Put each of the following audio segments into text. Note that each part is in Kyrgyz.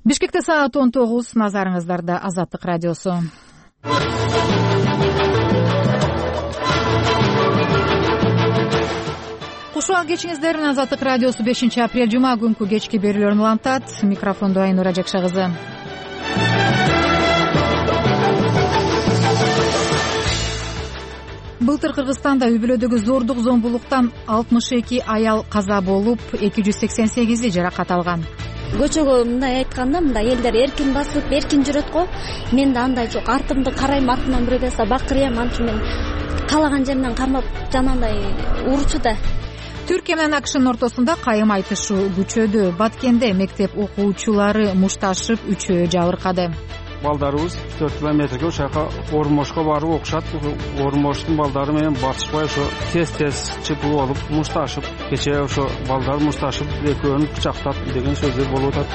Бишкекте саат 19, назарыңыздарда Азаттык радиосу. Кушуал кечиңиздер менен Азаттык радиосу 5-апрель жума күнкү кечки берүүлөрүн улантат. Микрофондо Айнура Жакша кызы. Былтыр Кыргызстанда үй-бүлөдөгү зордук зомбулуктан 62 аял каза болуп, 288 жаракат алган. Көчөгө мындай айтканда, мындай элдер эркин басып, эркин жүрөт го. Мен да андай жок. Артымды карайм, артымдан бирөө келсе бакырыйм, антип мен каалаган жеринен кармап жанагындай урчу да. Түркия менен АКШнын ортосунда кайым айтышуу күчөдү. Баткенде мектеп окуучулары мушташып, үчөө жабыркады. Балдарыбыз 4 километрге ошака Ормошко барып окушат. Ормоштун балдары менен батышпай ошо тез чыпып болуп мушташып, кечээ ошо балдар мушташып экөөнү кычактап деген сөздөр болуп атат.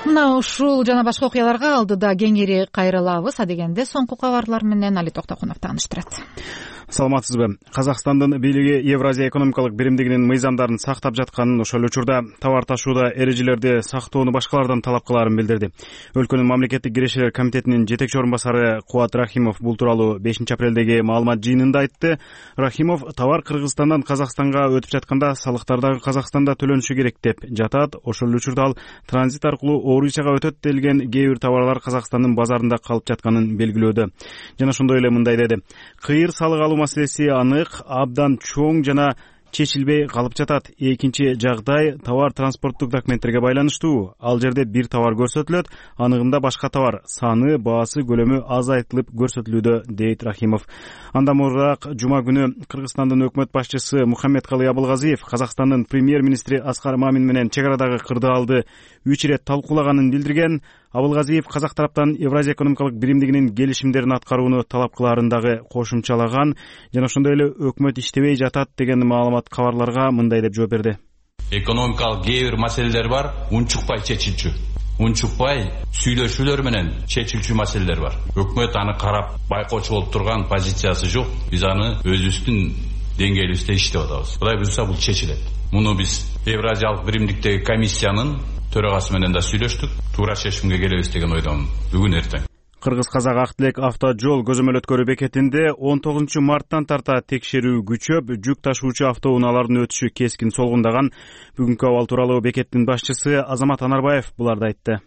Мына ушул жана башка окуяларга алдыда кеңири кайрылабыз. Адегенде соңку кабарлар менен Али Токтокунов тааныштырат. Саламатсызбы? Казакстандын бийлиги Евразия экономикалык биримдигинин мыйзамдарын сактап жатканын, ошол учурда товар ташууда эрежелерди сактоону башкалардан талап кылаарын билдирди. Өлкөнүн мамлекеттик кирешелер комитетинин жетекчи орун басары Кубат Рахимов бул тууралуу 5-апрелдеги маалымат жыйынында айтты. Рахимов товар Кыргызстандан Казакстанга өтүп жатканда салыктар дагы Казакстанда төлөнүшү керек деп жатат. Ошол учурда ал транзит аркылуу Орусияга өтөт делген кээ бир товарлар Казакстандын базарында калып жатканын белгилөөдө. Жана ошондой эле мындай деди: кыйыр салык алуу маселеси анык, абдан чоң жана чечилбей калып жатат. Экинчи жагдай товар транспорттук документтерге байланыштуу. Ал жерде бир товар көрсөтүлөт, анығында башка товар саны, баасы, көлөмү аз айтылып көрсөтүлүүдө, дейт Рахимов. Андан мурдаак жума күнү Кыргызстандын өкмөт башчысы Мухаммедкалый Абылгазиев Казакстандын премьер-министри Аскар Мамин менен чек арадагы кырдаалды 3 ирет талкуулаганын билдирген. Абылгазиев казак тараптан Евразия экономикалык биримдигинин келишимдерин аткарууну талап кылаарын дагы кошумчалаган. Жана ошондой эле өкмөт иштебей жатат деген маалымат кабарларга мындай деп жооп берди: экономикалык кээ бир маселелер бар, унчукпай чечилчү. Унчукпай сүйлөшүүлөр менен чечилчү маселелер бар. Өкмөт аны карап байкоочу болуп турган позициясы жок. Биз аны өзүбүздүн деңгээлибизде иштеп атабыз. Кудай буйрса бул чечилет. Муну биз Евразиялык биримдиктеги комиссиянын төрагасы менен да сүйлөштүк. Туура чечимге келебиз деген ойдомун бүгүн эртең. Кыргыз-казак ак тилек автожол көзөмөл өткөрүү бекетинде 19 марттан тарта текшерүү күчөп, жүк ташуучу автоунаалардын өтүшү кескин солгундаган. Бүгүнкү абал тууралуу бекеттин башчысы Азамат Анарбаев буларды айтты.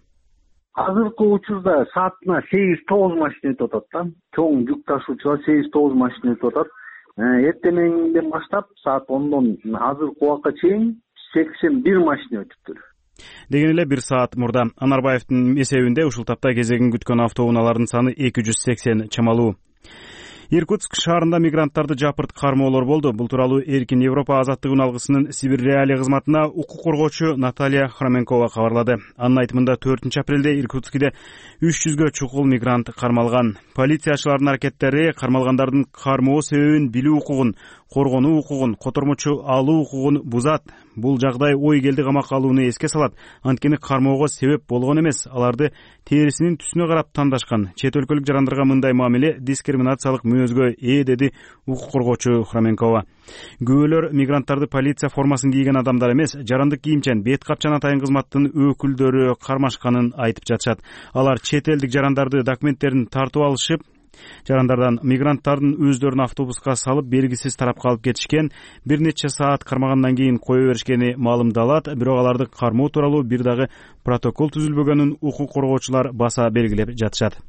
Азыркы учурда саатына 8-9 машина өтүп атат да. Чоң жүк ташуучулар 8-9 машина өтүп атат. Эртеңден баштап саат 10дон азыркы убакка чейин 81 машина өтүптүр. Деген эле бир саат мурда Анарбаевдин эсебинде ушул тапта кезегин күткөн автоунаалардын саны 280 чамалуу. Иркутск шаарында мигранттарды жапырт кармоолор болду. Бул тууралуу Эркин Европа азаттыгын алгысынын Сибир реалия кызматына укук коргоочу Наталья Хроменкова кабарлады. Анын айтымында 4-апрелде Иркутскиде 300гө чукул мигрант кармалган. Полициячылардын аракеттери кармалгандардын кармоо себебин билүү укугун, коргонуу укугун, котормочу алуу укугун бузат. Бул жагдай ой келди камакка алууну эске салат. Анткени кармоого себеп болгон эмес, аларды терисинин түсүнө карап тандашкан. Чет өлкөлүк жарандарга мындай мамиле дискриминациялык мүнөзгө деди укук коргоочу Хроменкова. Күбөлөр мигранттарды полиция формасын кийген адамдар эмес, жарандык кийимчен бет капчан атайын кызматтын өкүлдөрү кармашканын айтып жатышат. Алар чет элдик жарандарды документтерин тартып алышып, жарандардан мигранттардын өздөрүн автобуска салып белгисиз тарапка алып кетишкен. Бир нече саат кармагандан кийин кое беришкени маалымдалат. Бирок аларды кармоо тууралуу бир дагы протокол түзүлбөгөнүн укук коргоочулар баса белгилеп жатышат.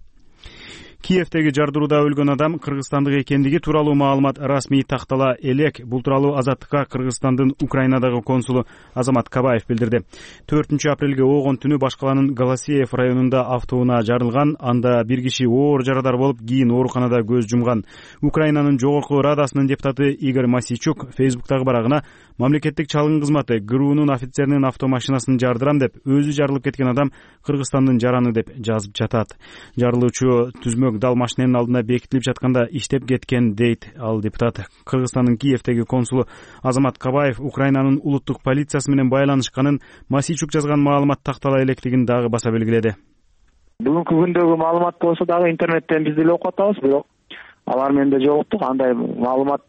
Киевдеги жардырууда өлгөн адам кыргызстандык экендиги тууралуу маалымат расмий тактала элек. Бул тууралуу Азаттыкка Кыргызстандын Украинадагы консулу Азамат Кабаев билдирди. 4-апрелге оогон түнү баш калаанын Голосеев районунда автоунаа жарылган. Анда бир киши оор жарадар болуп, кийин ооруканада көз жумган. Украинанын жогорку радасынын депутаты Игорь Масийчук Фейсбуктагы барагына мамлекеттик чалгын кызматы ГРУнун офицеринин автомашинасын жардырам деп, өзү жарылып кеткен адам Кыргызстандын жараны деп жазып жатат. Жарылуучу түзмөк дал машинанын алдына бекитилип жатканда иштеп кеткен, дейт ал депутат. Кыргызстандын Киевдеги консулу Азамат Кабаев Украинанын улуттук полициясы менен байланышканын, Масийчук жазган маалымат тактала электигин дагы баса белгиледи. Бүгүнкү күндөгү маалымат болсо дагы интернеттен биз деле окуп атабыз, бирок алар менде жок. Андай маалымат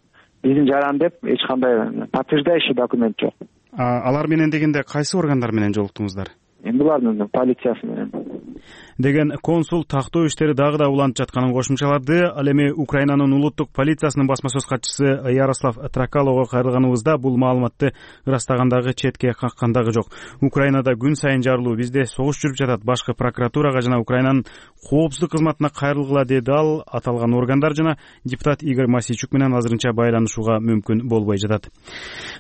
биздин жаран деп эч кандай подтверждающий документ жок. Алар менен дегенде кайсы органдар менен жолуктуңуздар? Булардын полициясы менен деген консул тактоо иштери дагы да уланып жатканын кошумчалады. Ал эми Украинанын улуттук полициясынын басма сөз катчысы Ярослав Тракаловго кайрылганыбызда бул маалыматты ырастагандагы, четке каккандагы жок. Украинада күн сайын жарылуу, бизде согуш жүрүп жатат. Башкы прокуратурага жана Украинанын коопсуздук кызматына кайрылгыла, деди ал. Аталган органдар жана депутат Игорь Масийчук менен азырынча байланышууга мүмкүн болбой жатат.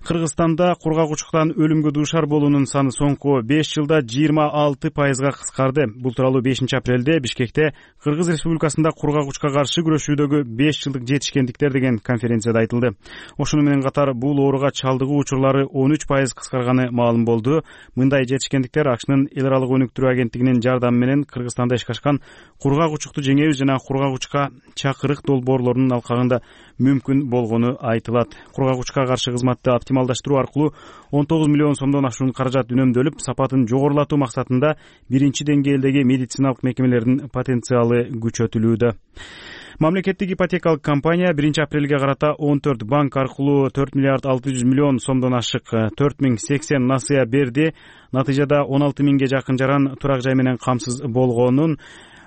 Кыргызстанда кургагучтуктан өлүмгө дуушар болуунун саны соңку 5 жылда 26% кыскарды. Бул тууралуу 5-апрелде Бишкекте Кыргыз Республикасында кургагучка каршы күрөшүүдөгү 5 жылдык жетишкендиктер деген конференцияда айтылды. Ошону менен катар бул ооруга чалдыгуу учурлары 13% кыскарганы маалым болду. Мындай жетишкендиктер АКШнын эл аралык өнүктүрүү агенттигинин жардамы менен Кыргызстанда ишке ашкан кургагучтукту жеңебиз жана кургагучка чакырык долбоорлорунун алкагында мүмкүн болгону айтылат. Кургагучка каршы кызматты оптималдаштыруу аркылуу 19 миллион сомдон ашуун каражат үнөмдөлүп, сапатын жогорулатуу максатында биринчи деңгээлдеги медициналык мекемелердин потенциалы күчөтүлүүдө. Мамлекеттик ипотекалык компания 1-апрелге карата 14 банк аркылуу 4 миллиард 600 миллион сомдон ашык 4080 насыя берди. Натыйжада 16 миңге жакын жаран турак жай менен камсыз болгонун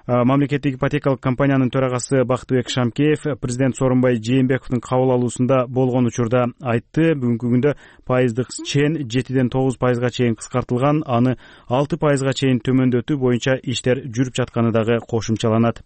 Мамлекеттик ипотекалык компаниянын төрагасы Бактыбек Шамкеев президент Сооронбай Жээнбековдун кабыл алуусунда болгон учурда айтты. Бүгүнкү күндө пайыздык чен 7-ден 9% чейин кыскартылган, аны 6% чейин төмөндөтүү боюнча иштер жүрүп жатканы дагы кошумчаланат.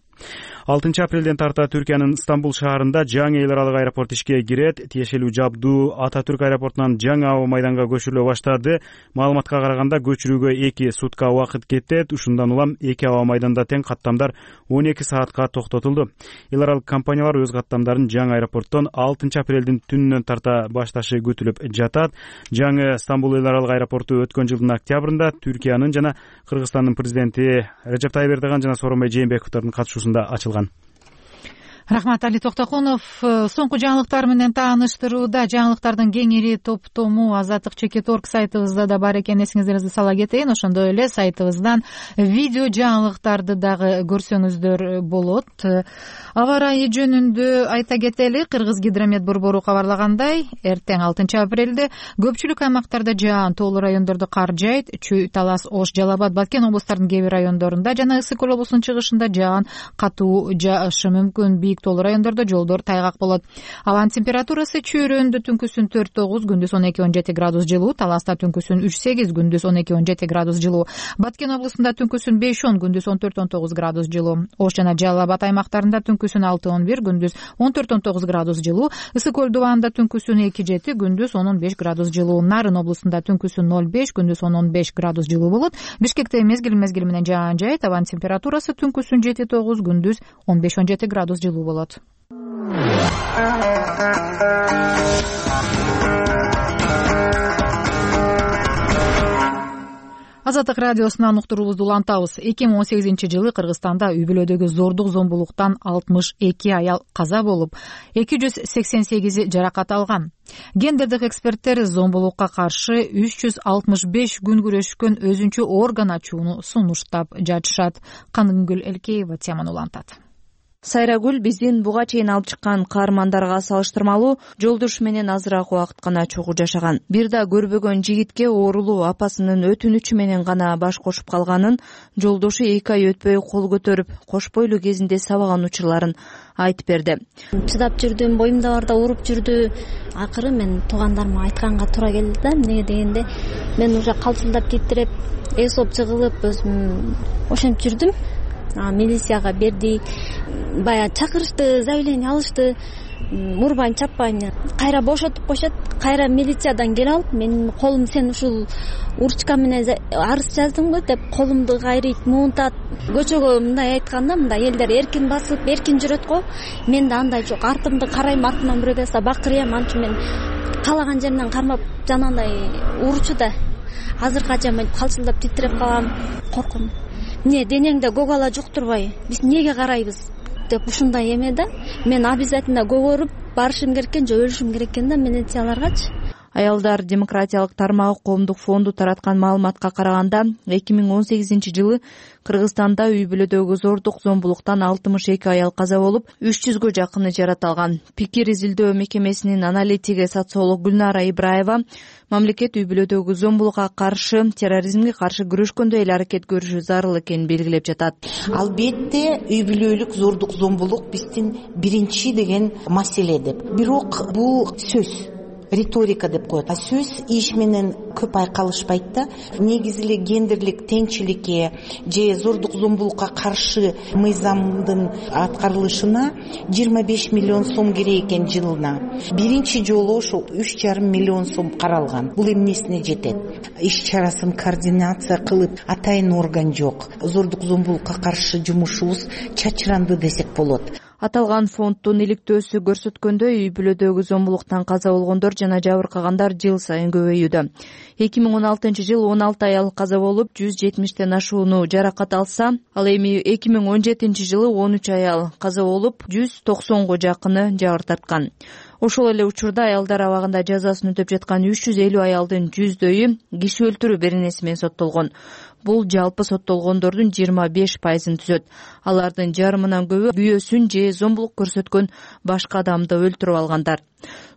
6-апрелден тарта Түркиянын Стамбул шаарында жаңы эл аралык аэропорт ишке кирет. Тиешелүү жабдуу Ататүрк аэропортунан жаңы аба майданга көчүрүлө баштады. Маалыматка караганда көчүрүүгө 2 сутка убакыт кетет. Ушундан улам 2 аба майданда тең каттамдар 12 саатка токтотулду. Эл аралык компаниялар өз каттамдарын жаңы аэропорттон 6-апрелдин түнүнөн тарта башташы күтүлүп жатат. Жаңы Стамбул эл аралык аэропорту өткөн жылдын октябрында Түркиянын жана Кыргызстандын президенти Режеп Тайып Эрдоган жана Сооронбай Жээнбековдун катышуусунда ачылган. Рахмат, Али Токтокунов. Соңку жаңылыктар менен тааныштырууда жаңылыктардын кеңири топтому Азаттык Чекит.орг сайтыбызда да бар экен, эсиңиздеринизде сала кетейин. Ошондой эле сайтыбыздан видео жаңылыктарды дагы көрсөңүздөр болот. Аба ырайы жөнүндө айта кетели. Кыргызгидромет борбору кабарлагандай, эртең 6-апрелде көпчүлүк аймактарда жаан, тоолуу райондордо кар жайт. Чүй, Талас, Ош, Жалал Абад, Баткен облустарынын кээ бир райондорунда жана Ысык Көл облусунун чыгышында жаан, катуу жаашы мүмкүн. Бийик тоолуу райондордо жолдор тайгак болот. Абанын температурасы чөйрөндө түнкүсүн 4-9, күндүз 12-17 градус жылуу, Таласта түнкүсүн 3-8, күндүз 12-17 градус жылуу, Баткен облусунда түнкүсүн 5-10, күндүз 14-19 градус жылуу, Ош жана Жалал Абад аймактарында түнкүсүн 6-11, күндүз 14-19 градус жылуу, Ысык Көл дубанында түнкүсүн 2-7, күндүз 10-15 градус жылуу, Нарын облусунда түнкүсүн 0-5, күндүз 10-15 градус жылуу болот. Бишкекте мезгил менен жаан жайт, абанын температурасы түнкүсүн 7-9, күндүз 15-17 градус жылуу болот. Азаттык радиосунан уктуруубузду улантабыз. 2018-жылы Кыргызстанда үй бүлөдөгү зордук зомбулуктан 62 аял каза болуп, 288 жаракат алган. Гендердик эксперттер зомбулукка каршы 365 күн күрөшкөн өзүнчө орган ачууну сунуштап жатышат. Каныгүл Элкеева теманы улантат. Сайрагүл биздин буга чейин алып чыккан каармандарга салыштырмалуу жолдош менен азыраак убакыт гана чогуу жашаган. Бир да көрбөгөн жигитке оорулуу апасынын өтүнүчү менен гана баш кошуп калганын, жолдошу 2 ай өтпөй кол көтөрүп, кош бойлуу кезинде сабаган учурларын айтып берди. Чыдап жүрдүм, боюмда барда уруп жүрдү. Акыры мен туугандарыма айтканга туура келди да. Эмнеге дегенде, мен уже калчылдап титиреп, эсоп чыгылып, өзүм ошентип жүрдүм. Милицияга берди, баягы чакырышты, заявление алышты, урбан чаппайын, кайра бошотуп коюшат, кайра милициядан келип алып, менин колум сен ушул уручка менен арыз жаздыңбы деп колумду кайрыйт, муунтат. Көчөгө мындай айтканда, мындай элдер эркин басып, эркин жүрөт го. Менде андай жок. Артымды карайм, артымдан бирөө келсе бакырыйм, антип мен каалаган жеринен кармап жанагындай уручу да. Азыркача мен калчылдап титиреп калам, коркум. Эмне денеңде көгала жуктурбай, биз эмнеге карайбыз деп ушундай эме да. Мен обязательно көгөрүп барышым керек экен же өлүшүм керек экен да милицияларгачы. Аялдар демократиялык тармагы коомдук фонду тараткан маалыматка караганда 2018-жылы Кыргызстанда үй бүлөдөгү зордук зомбулуктан 62 аял каза болуп, 300гө жакыны жараталган. Пикир изилдөө мекемесинин аналитиги социолог Гүлнара Ибраева мамлекет үй бүлөдөгү зомбулукка каршы, терроризмге каршы күрөшкөндө эле аракет көрүшү зарыл экенин белгилеп жатат. Албетте үй бүлөлүк зордук зомбулук биздин биринчи деген маселе деп. Бирок бул сөз, риторика деп коет. Сөз иш менен көп айкалышпайт да. Негизи эле гендерлик теңчиликке же зордук зомбулукка каршы мыйзамдын аткарылышына 25 миллион сом керек экен жылына. Биринчи жолу ошо 3,5 миллион сом каралган. Бул эмнесине жетет? Иш чарасын координация кылып, атайын орган жок. Зордук зомбулукка каршы жумушубуз чачыранды десек болот. Аталган фонддун иликтөөсү көрсөткөндөй, үй бүлөдөгү зомбулуктан каза болгондор жана жабыркагандар жыл сайын көбөйүүдө. 2016-жылы 16 аял каза болуп, 170тен ашууну жаракат алса, ал эми 2017-жылы 13 аял каза болуп, 190го жакыны жабыр тарткан. Ошол эле учурда аялдар абагында жазасын өтөп жаткан 350 аялдын 100дөйү киши өлтүрүү беренеси менен соттолгон. Бул жалпы соттолгондордун 25%-ын түзөт. Алардын жарымынан көбү күйөөсүн же зомбулук көрсөткөн башка адамды өлтүрүп алгандар.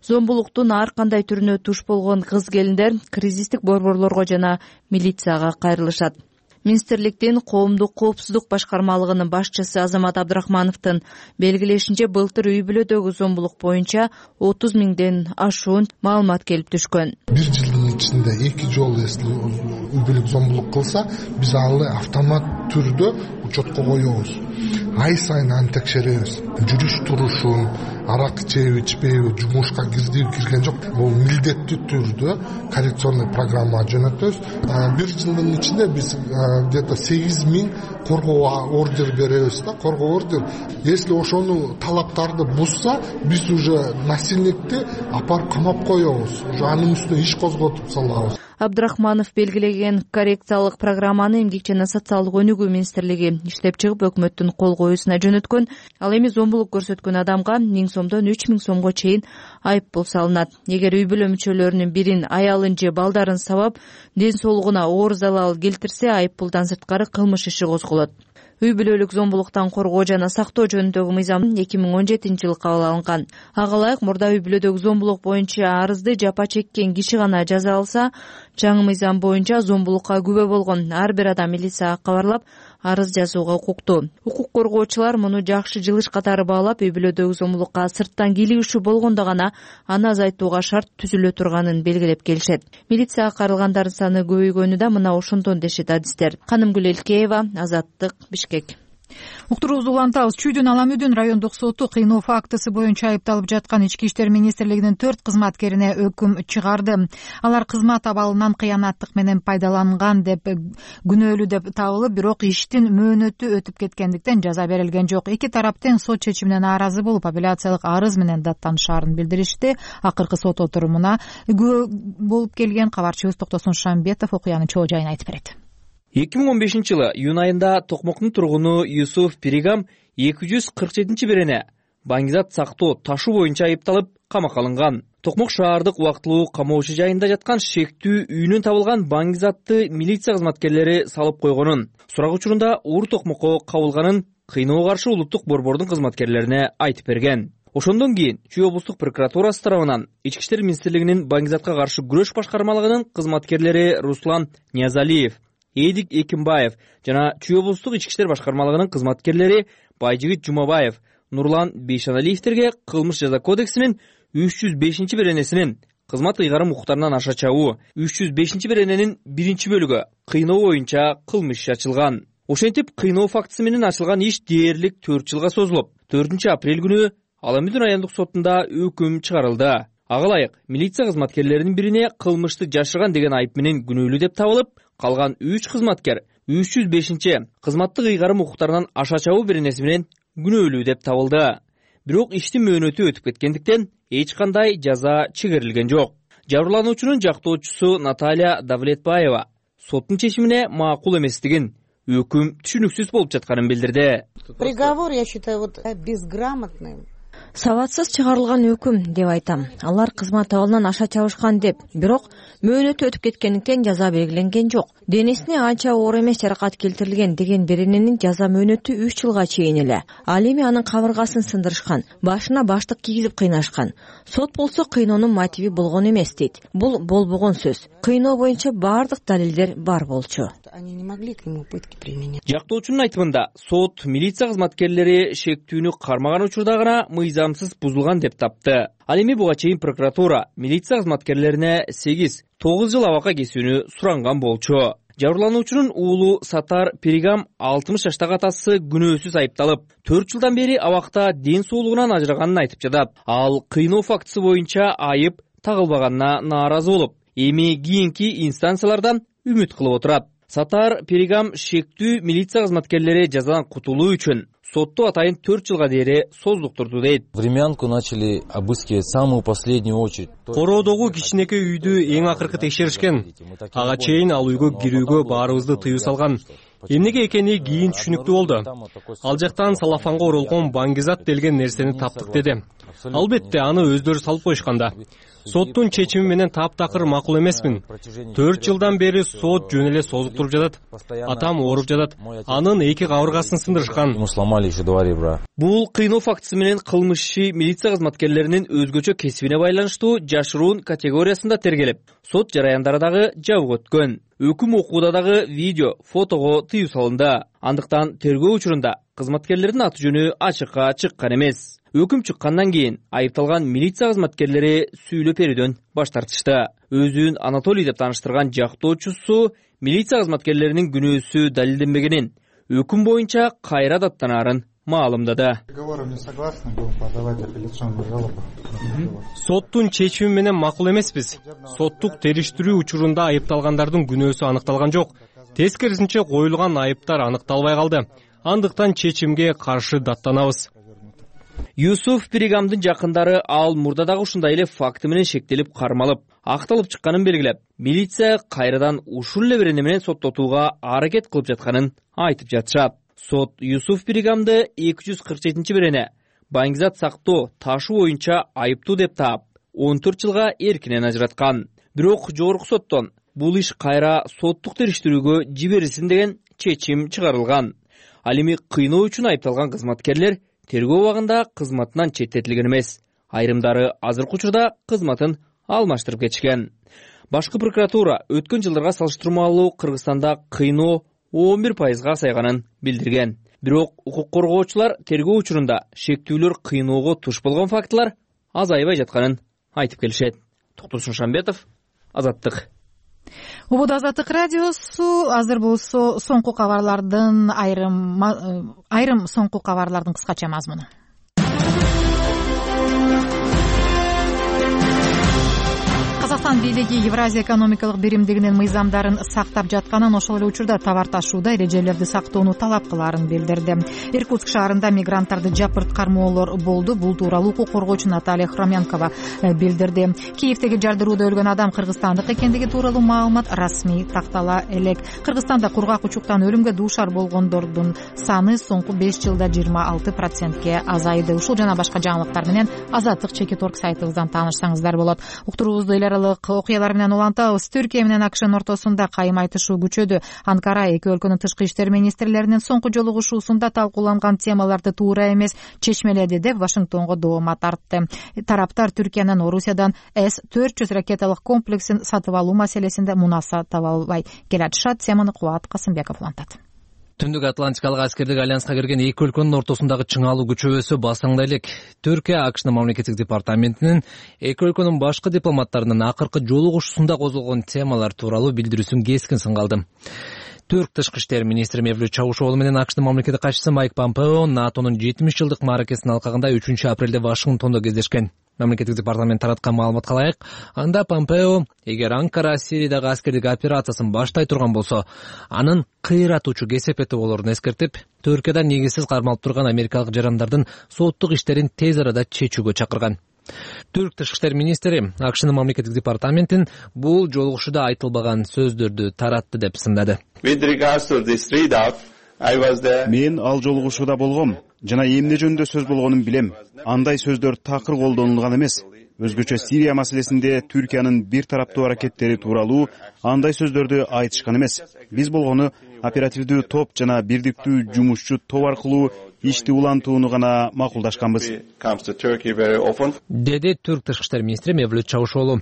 Зомбулуктун ар кандай түрүнө туш болгон кыз-келиндер кризистик борборлорго жана милицияга кайрылышат. Министрликтин коомдук коопсуздук башкармалыгынын башчысы Азамат Абдрахмановдун белгилешинче, былтыр үй бүлөдөгү зомбулук боюнча 30 миңден ашуун маалымат келип түшкөн. Бир жылдын ичинде 2 жолу үй бүлөлүк зомбулук кылса, биз аны автомат түрдө учетко коебуз. Ай сайын аны текшеребиз. Жүрүш турушун, арак ичеби ичпейби, жумушка кирдиби кирген жок. Бул милдеттүү түрдө коррекционный программа жөнөтөбүз. Бир жылдын ичинде биз где-то 8 миң коргоо ордер беребиз да, коргоо ордер. Если ошону талаптарды бузса, биз уже насильникти апарып камап коебуз. Уже анын үстүнө иш козготуп салабыз. Абдрахманов белгилеген коррекциялык программаны Эмгек жана социалдык өнүгүү министрлиги иштеп чыгып, өкмөттүн кол коюусуна жөнөткөн. Ал эми зомбулук көрсөткөн адамга 1000 сомдон 3000 сомго чейин айып пул салынат. Эгер үй бүлө мүчөлөрүнүн бирин, аялын же балдарын сабап, ден соолугуна оор залал келтирсе, айып пулдан сырткары кылмыш иши козголот. Үй бүлөлүк зомбулуктан коргоо жана сактоо жөнүндөгү мыйзам 2017-жылы кабыл алынган. Ага ылайык мурда үй бүлөдөгү зомбулук боюнча арызды жапа чеккен киши гана жаза алса, жаңы мыйзам боюнча зомбулукка күбө болгон ар бир адам милицияга кабарлап, арыз жазууга укуктуу. Укук коргоочулар муну жакшы жылыш катары баалап, үй бүлөдөгү зомбулукка сырттан кийлигишүү болгондо гана аны азайтууга шарт түзүлө турганын белгилеп келишет. Милицияга кайрылгандардын саны көбөйгөнү да мына ошондон дешет адистер. Канымгүл Элкеева, Азаттык, Бишкек. Уктуруубузду улантабыз. Чүйдүн Аламүдүн райондук соту кыйноо фактысы боюнча айыпталып жаткан Ички иштер министрлигинин 4 кызматкерине өкүм чыгарды. Алар кызмат абалынан кыянаттык менен пайдаланган деп күнөөлүү деп табылып, бирок иштин мөөнөтү өтүп кеткендиктен жаза берилген жок. Эки тарап тең сот чечимине нааразы болуп, апелляциялык арыз менен даттанышаарын билдиришти. Акыркы сот отурумуна күбө болуп келген кабарчыбыз Токтосун Шамбетов окуянын чоо жайын айтып берет. 2015-жылы июнь айында Токмоктун тургуну Юсуф Пиригам 247 берене баңгизат сактоо ташуу боюнча айыпталып камакка алынган. Токмок шаардык убактылуу камоочу жайында жаткан шектүү үйүнөн табылган баңгизатты милиция кызматкерлери салып койгонун, сурак учурунда Уур Токмокко кабылганын кыйноого каршы улуттук борбордун кызматкерлерине айтып берген. Ошондон кийин Чүй облустук прокуратурасы тарабынан Ички иштер министрлигинин баңгизатка каршы күрөш башкармалыгынын кызматкерлери Руслан Ниязалиев, Эдик Экимбаев жана Чүй облустук ички иштер башкармалыгынын кызматкерлери Байжигит Жумабаев, Нурлан Бейшаналиевтерге кылмыш жаза кодексинин 305 беренесинин кызмат ыйгарым укуктарынан аша чабуу, 305 берененин 1-бөлүгү кыйноо боюнча кылмыш иши ачылган. Ошентип, кыйноо фактысы менен ачылган иш дээрлик 4 жылга созулуп, 4-апрель күнү Аламүдүн райондук сотунда өкүм чыгарылды. Ага ылайык милиция кызматкерлеринин бирине кылмышты жашырган деген айып менен күнөөлүү деп табылып, калган 3 кызматкер 305 кызматтык ыйгарым укуктарынан аша чабуу беренеси менен күнөөлүү деп табылды. Бирок иштин мөөнөтү өтүп кеткендиктен эч кандай жаза чегерилген жок. Жабырлануучунун жактоочусу Наталья Давлетбаева соттун чечимине макул эместигин, өкүм түшүнүксүз болуп жатканын билдирди. Приговор, я считаю, безграмотным. Сабатсыз чыгарылган өкүм деп айтам. Алар кызмат абалынан аша чабышкан деп, бирок мөөнөтү өтүп кеткендиктен жаза белгиленген жок. Денесине анча оор эмес жаракат келтирилген деген берененин жаза мөөнөтү 3 жылга чейин эле. Ал эми анын кабыргасын сындырышкан, башына баштык кийгизип кыйнашкан. Сот болсо кыйноонун мотиви болгон эмес дейт. Бул болбогон сөз. Кыйноо боюнча баардык далилдер бар болчу. Жактоочунун айтымында, сот милиция кызматкерлери шектүүнү кармаган учурда гана мыйзамсыз бузулган деп тапты. Ал эми буга чейин прокуратура милиция кызматкерлерине 8-9 жыл абакка кесүүнү суранган болчу. Жабырлануучунун уулу Сатар Перигам 60 жаштагы атасы күнөөсүз айыпталып, 4 жылдан бери абакта ден соолугунан ажыраганын айтып жатат. Ал кыйноо фактысы боюнча айып тагылбаганына нааразы болуп, эми кийинки инстанциялардан үмүт кылып отурат. Сатар Перигам шектүү милиция кызматкерлери жазадан кутулуу үчүн сотту атайын 4 жылга дейин создуктурду дейт. Времянку начали обыскивать в самую последнюю очередь. Короодогу кичинекей үйдү эң акыркы текшеришкен. Ага чейин ал үйгө кирүүгө баарыбызды тыюу салган. Эмнеге экени кийин түшүнүктүү болду. Ал жактан салафанга оролгон баңгизат делген нерсени таптык деди. Албетте аны өздөрү салып коюшканда. Соттун чечими менен таптакыр макул эмесмин. 4 жылдан бери сот жөн эле созуктуруп жатат. Атам ооруп жатат. Анын 2 кабыргасын сындырышкан. Бул кыйноо фактысы менен кылмыш иши милиция кызматкерлеринин өзгөчө кесибине байланыштуу жашыруун категориясында тергелип, сот жараяндары дагы жабык өткөн. Өкүм окууда дагы видео, фотого тыюу салынды. Андыктан тергөө учурунда кызматкерлердин аты жөнү ачыкка чыккан эмес. Өкүм чыккандан кийин айыпталган милиция кызматкерлери сүйлөп берүүдөн баш тартышты. Өзүн Анатолий деп тааныштырган жактоочусу милиция кызматкерлеринин күнөөсү далилденбегенин, өкүм боюнча кайра даттанаарын маалымдады. Соттун чечими менен макул эмеспиз. Соттук териштирүү учурунда айыпталгандардын күнөөсү аныкталган жок. Тескерисинче коюлган айыптар аныкталбай калды. Андыктан чечимге каршы даттанабыз. Юсуф Перигамдын жакындары ал мурда дагы ушундай эле факты менен шектелип кармалып, акталып чыкканын белгилеп, милиция кайрадан ушул эле берене менен соттотууга аракет кылып жатканын айтып жатышат. Сот Юсуф Перигамды 247-берене баңгизат сактоо ташы боюнча айыптуу деп таап, 14 жылга эркинен ажыраткан. Бирок жогорку соттон бул иш кайра соттук териштирүүгө жиберилсин деген чечим чыгарылган. Ал эми кыйноо үчүн айыпталган кызматкерлер тергөө убагында кызматынан четтетилген эмес. Айрымдары азыркы учурда кызматын алмаштырып кетишкен. Башкы прокуратура өткөн жылдарга салыштырмалуу Кыргызстанда кыйноо 11%га азайганын билдирген. Бирок укук коргоочулар тергөө учурунда шектүүлөр кыйноого туш болгон фактылар азайбай жатканын айтып келишет. Токтурсун Шамбетов, Азаттык. Убуда Азаттык радиосу. Азыр болсо соңку кабарлардын айрым соңку кабарлардын кыскача мазмуну. Казакстан бийлиги Евразия экономикалык биримдигинин мыйзамдарын сактап жатканын, ошол эле учурда товар ташууда эрежелерди сактоону талап кылаарын билдирди. Иркутск шаарында мигранттарды жапырт кармоолор болду. Бул тууралуу укук коргоочу Наталья Хромянкова билдирди. Киевдеги жардырууда өлгөн адам кыргызстандык экендиги тууралуу маалымат расмий тактала элек. Кыргызстанда кургак учуктан өлүмгө дуушар болгондордун саны соңку 5 жылда 26%ге азайды. Ушул жана башка жаңылыктар менен Азаттык Чекит.орг сайтыбыздан таанышсаңыздар болот. Уктуруубузду эл аралык окуялар менен улантабыз. Түркия менен АКШнын ортосунда кайым айтышуу күчөдү. Анкара эки өлкөнүн тышкы иштер министрлеринин соңку жолугушуусунда талкууланган темаларды туура эмес чечмеледи деп Вашингтонго доoma тартты. Тараптар Түркиянын Орусиядан С-400 ракеталык комплексин сатып алуу маселесинде мунаса таба албай келатышат. Теманы Кубат Касымбеков улантат. Түндүк Атлантикалык аскердик альянска кирген эки өлкөнүн ортосундагы чыңалуу күчөбөсү басаңдай элек. Түркия АКШнын мамлекеттик департаментинин эки өлкөнүн башкы дипломаттарынын акыркы жолугушуусунда козголгон темалар тууралуу билдирүүсүн кескин сынгалды. Түрк тышкы иштер министри Мевлют Чавушоглу менен АКШнын мамлекеттик катчысы Майк Помпео НАТОнун 70 жылдык мааракесинин алкагында 3 апрелде Вашингтондо кездешкен. Мамлекеттик департамент тараткан маалыматка ылайык, анда Помпео эгер Анкара Сириядагы аскердик операциясын баштай турган болсо, анын кыйратуучу кесепети болорун эскертип, Түркияда негизсиз кармалып турган америкалык жарандардын соттук иштерин тез арада чечүүгө чакырган. Түрк тышкы иштер министри АКШнын мамлекеттик департаментин бул жолугушууда айтылбаган сөздөрдү таратты деп сындады. Мен ал жолугушууда болгом. жана эмне жөнүндө сөз болгонун билем. Андай сөздөр такыр колдонулган эмес. Өзгөчө Сирия маселесинде Түркиянын бир тараптуу аракеттери тууралуу андай сөздөрдү айтышкан эмес. Биз болгону оперативдүү топ жана бирдиктүү жумушчу топ аркылуу ишти улантууну гана макулдашканбыз, деди Түрк тышкы иштер министри Мевлют Чавушоğlu.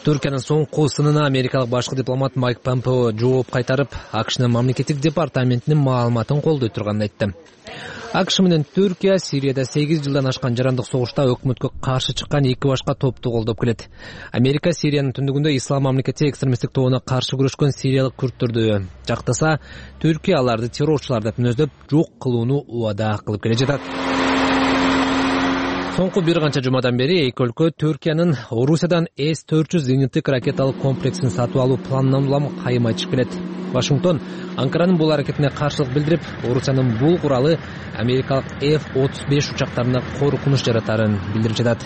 Түркиянын соңку сынына америкалык башкы дипломат Майк Помпео жооп кайтарып, АКШнын мамлекеттик департаментинин маалыматын колдой турганын айтты. АКШ менен Түркия Сирияда 8 жылдан ашкан жарандык согушта өкмөткө каршы чыккан эки башка топту колдоп келет. Америка Сириянын түндүгүндө ислам мамлекети экстремисттик тобуна каршы күрөшкөн сириялык күрттөрдү жактаса, Түркия аларды террорчулар деп мүнөздөп, жок кылууну убада кылып келе жатат. Соңку бир канча жумадан бери эки өлкө Түркиянын Орусиядан С-400 зениттик ракеталык комплексин сатып алуу планынан улам кайым айтышып келет. Вашингтон Анкаранын бул аракетине каршылык билдирип, Орусиянын бул куралы америкалык F-35 учактарына коркунуч жаратарын билдирип жатат.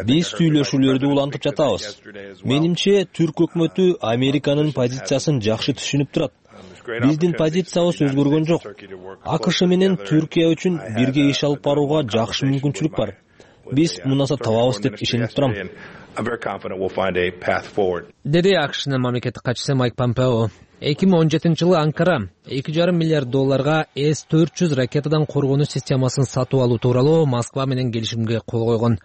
Биз сүйлөшүүлөрдү улантып жатабыз. Менимче, Түрк өкмөтү Американын позициясын жакшы түшүнүп турат. Биздин позициябыз өзгөргөн жок. АКШ менен Түркия үчүн бирге иш алып барууга жакшы мүмкүнчүлүк бар. Биз мунаса табабыз деп ишенип турам, деди АКШнын мамлекеттик катчысы Майк Помпео. 2017-жылы Анкара $2,5 миллиард С-400 ракетадан коргонуч системасын сатып алуу тууралуу Москва менен келишимге кол койгон.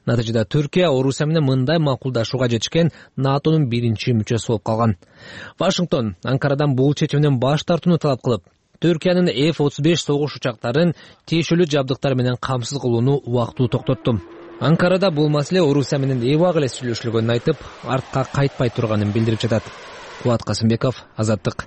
Натыйжада Түркия Орусия менен мындай макулдашууга жетишкен НАТОнун биринчи мүчөсү болуп калган. Вашингтон Анкарадан бул чечимден баш тартууну талап кылып, Түркиянын F-35 согуш учактарын тиешелүү жабдыктар менен камсыз кылууну убактылуу токтотту. Анкарада бул маселе Орусия менен эбак эле сүйлөшүлгөнүн айтып, артка кайтпай турганын билдирип жатат. Кубат Касымбеков, Азаттык.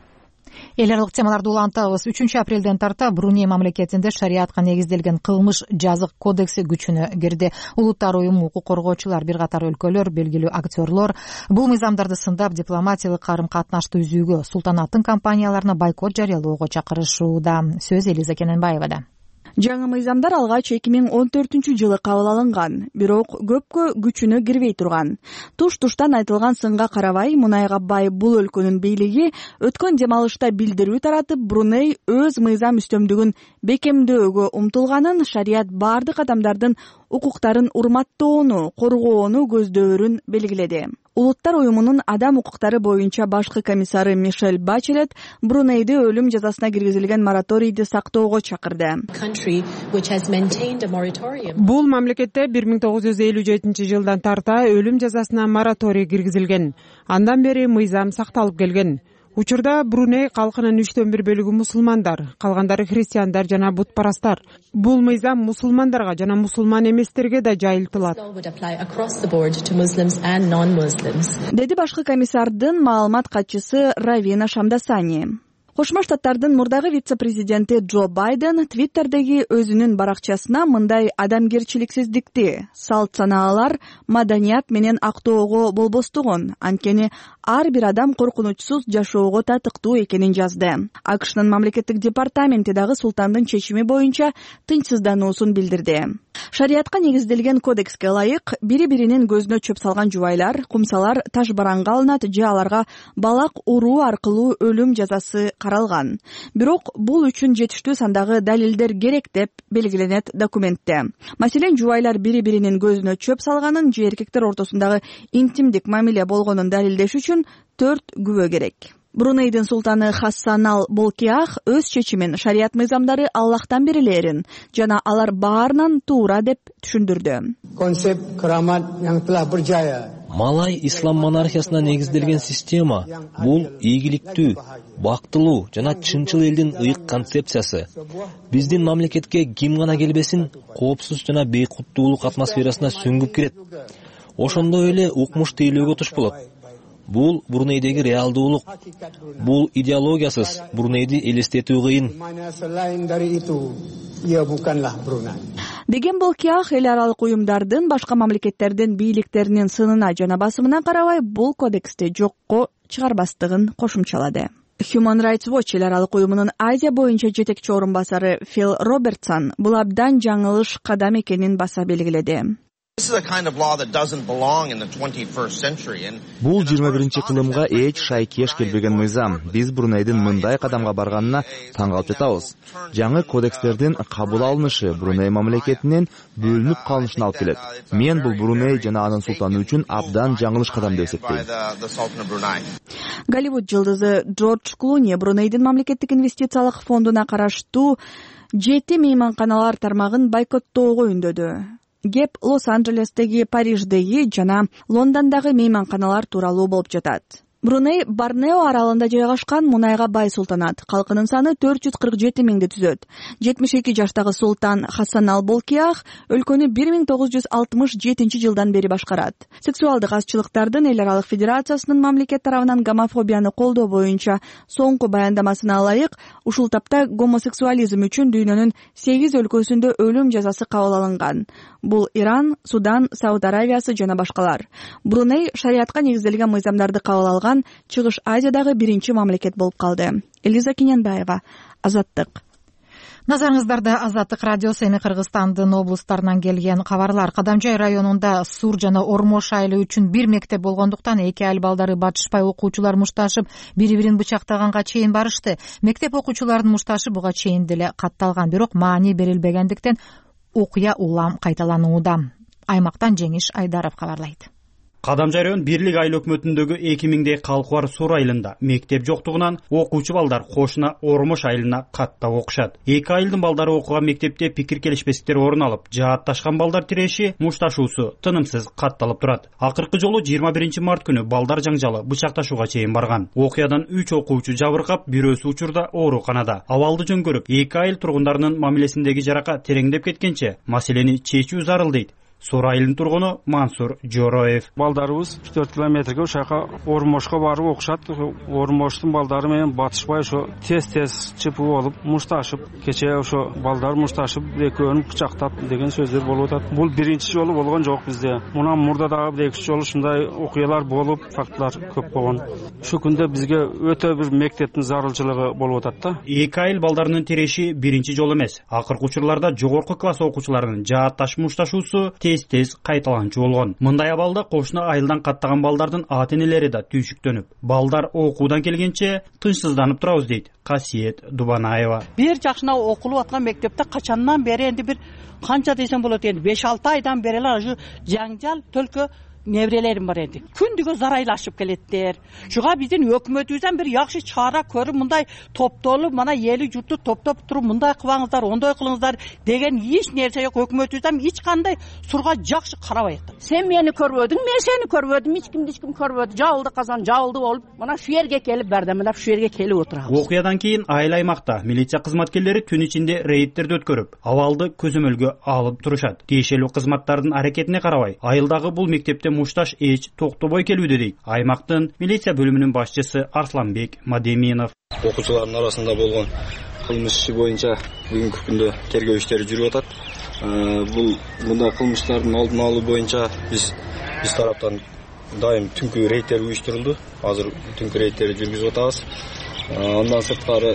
Эл аралык темаларды улантабыз. 3 апрелден тарта Бруней мамлекетинде шариатка негизделген кылмыш жазык кодекси күчүнө кирди. Улуттар уюму, укук коргоочулар, бир катар өлкөлөр, белгилүү актерлор бул мыйзамдарды сындап, дипломатиялык карым-катнашты үзүүгө, султанаттын компанияларына бойкот жарыялоого чакырышууда. Сөз Элиза Кененбаевада. Жаңы мыйзамдар алгач 2014-жылы кабыл алынган, бирок көпкө күчүнө кирбей турган. Туш-туштан айтылган сынга карабай, мунайга бай бул өлкөнүн бийлиги өткөн демалышта билдирүү таратып, Бруней өз мыйзам үстөмдүгүн бекемдөөгө умтулганын, шарият бардык адамдардын укуктарын урматтоону, коргоону көздөөрүн белгиледи. Улуттар уюмунун адам укуктары боюнча башкы комиссары Мишель Бачелет Брунейде өлүм жазасына киргизилген мораторийди сактоого чакырды. Бул мамлекетте 1957-жылдан тарта өлүм жазасына мораторий киргизилген. Андан бери мыйзам сакталып келген. Учурда Бруней калкынын 1/3 бөлүгү мусулмандар, калгандары христиандар жана бутпарастар. Бул мыйзам мусулмандарга жана мусулман эместерге да жайылтылат, деди башкы комиссардын маалымат катчысы Равина Шамдасани. Кошмо Штаттардын мурдагы вице-президенти Джо Байден Твиттердеги өзүнүн баракчасына мындай адамгерчиликсиздикти, салт санаалар, маданият менен актоого болбостугун, анткени ар бир адам коркунучсуз жашоого татыктуу экенин жазды. АКШнын мамлекеттик департаменти дагы султандын чечими боюнча тынчсыздануусун билдирди. Шариатка негизделген кодекске ылайык, бири-биринин көзүнө чөп салган жубайлар, кумсалар таш бараңга алынат же аларга балак уруу аркылуу өлүм жазасы каралган. Бирок бул үчүн жетиштүү сандагы далилдер керек деп белгиленет документте. Маселен, жубайлар бири-биринин көзүнө чөп салганын же эркектер ортосундагы интимдик мамиле болгонун далилдеш үчүн 4 күбө керек. Брунейдин султаны Хассанал Болкиах өз чечимин шарият мыйзамдары Аллахтан берилерин жана алар баарынан туура деп түшүндүрдү. Малай ислам монархиясына негизделген система бул ийгиликтүү, бактылуу жана чынчыл элдин ыйык концепциясы. Биздин мамлекетке ким гана келбесин, коопсуз жана бейкуттуулук атмосферасына сүңгүп кирет. Ошондой эле укмуш тейлөөгө туш болот. Бул Брунейдеги реалдуулук. Бул идеологиясыз Брунейди элестетүү кыйын, деген Болкиах эл аралык уюмдардын башка мамлекеттердин бийликтеринин сынына жана басымына карабай бул кодексти жокко чыгарбастыгын кошумчалады. Human Rights Watch эл аралык уюмунун Азия боюнча жетекчи орун басары Фил Робертсон бул абдан жаңылыш кадам экенин баса белгиледи. Бул 21-кылымга эч шайкеш келбеген мыйзам. Биз Брунейдин мындай кадамга барганына таң калып жатабыз. Жаңы кодекстердин кабыл алынышы Бруней мамлекетинен бөлүнүп калышына алып келет. Мен бул Бруней жана анын султаны үчүн абдан жаңылыш кадам деп эсептейм. Голливуд жылдызы Джордж Клуни Брунейдин мамлекеттик инвестициялык фондуна караштуу 7 мейманканалар тармагын бойкоттоого үндөдү. Кеп Лос-Анджелестеги, Париждеги жана Лондондогу мейманканалар тууралуу болуп жатат. Бруней Борнео аралында жайгашкан мунайга бай султанат. Калкынын саны 447 миңди түзөт. 72 жаштагы султан Хасан ал-Болкиях өлкөнү 1967 жылдан бери башкарат. Сексуалдык азчылыктардын эл аралык федерациясынын мамлекет тарабынан гомофобияны колдоо боюнча соңку баяндамасына ылайык, ушул тапта гомосексуализм үчүн дүйнөнүн 8 өлкөсүндө өлүм жазасы кабыл алынган. Бул Иран, Судан, Сауд Аравиясы жана башкалар. Бруней шариатка негизделген мыйзамдарды кабыл алган Чыгыш Азиядагы биринчи мамлекет болуп калды. Элиза Кененбаева, Азаттык. Назарыңыздарда Азаттык радиосу эми Кыргызстандын облустарынан келген кабарлар. Кадамжай районунда Сур жана Ормош айылы үчүн бир мектеп болгондуктан эки айыл балдары батышпай окуучулар мушташып, бири-бирин бычактаганга чейин барышты. Мектеп окуучуларынын мушташы буга чейин деле катталган, бирок маани берилбегендиктен окуя улам кайталанууда. Аймактан Жеңиш Айдаров кабарлайт. Кадамжай район бирлик айыл өкмөтүндөгү 2000дей калкы бар Сур айылында мектеп жоктугунан окуучу балдар кошуна Ормош айылына каттап окушат. Эки айылдын балдары окуган мектепте пикир келишпестиктер орун алып, жаатташкан балдар тиреши, мушташуусу тынымсыз катталып турат. Акыркы жолу 21 март күнү балдар жаңжалы бычакташууга чейин барган. Окуядан 3 окуучу жабыркап, бирөөсү учурда ооруканада. Абалды жөн көрүп, эки айыл тургундарынын мамилесиндеги жарака тереңдеп кеткенче маселени чечүү зарыл дейт Сур айылынын тургуну Мансур Жороев. Балдарыбыз 4 километрге ошака Ормошко барып окушат. Ормоштун балдары менен батышпай ошо тез чыпып болуп, мушташып, кечээ ошо балдар мушташып, экөөнү кычактап деген сөздөр болуп атат. Бул биринчи жолу болгон жок бизде. Мундан мурда дагы 2 жолу ушундай окуялар болуп, фактлар көп болгон. Шу күндө бизге өтө бир мектептин зарылчылыгы болуп атат да. Эки айыл балдарынын тиреши биринчи жол эмес. Акыркы учурларда жогорку класс окуучуларынын жаатташ мушташуусу тез кайталанчу болгон. Мындай абалда кошуна айылдан каттаган балдардын ата-энелери да түйшүктөнүп, балдар окуудан келгенче тынчсызданып турабыз дейт Касиет Дубанаева. Бир жакшына окулуп аткан мектепте качандан бери энди бир канча десем болот энди 5-6 айдан бери эле ушу жаңжал төлкө небрелерим бар энди. Күндүгө зарайлашып келеттер. Шуга биздин өкмөтүбүздөн бир жакшы чара көрүп, мындай топтолуп, мана эли журтту топтоп туруп, мындай кылбаңыздар, ондой кылыңыздар деген эч нерсе жок. Өкмөтүбүздөн эч кандай Сурга жакшы карабайт. Сен мени көрбөдүң, мен сени көрбөдүм, эч ким көрбөдү. Жабылды казан, жабылды болуп, мына шу жерге келип бардым, шу жерге келип отурабыз. Окуядан кийин айыл аймакта милиция кызматкерлери түн ичинде рейдтерди өткөрүп, абалды көзөмөлгө алып турушат. Тиешелүү кызматтардын аракетине карабай, айылдагы бул мектепте мушташ эч токтобой келүүдө дейт аймактын милиция бөлүмүнүн башчысы Арсланбек Мадеминов. Окуучулардын арасында болгон кылмыш иши боюнча бүгүнкү күндө тергөө иштери жүрүп атат. Бул мындай кылмыштардын алдын алуу боюнча биз тараптан дайым түнкү рейдтер уюштурулду. Азыр түнкү рейдтерди жүргүзүп атабыз. Андан сырткары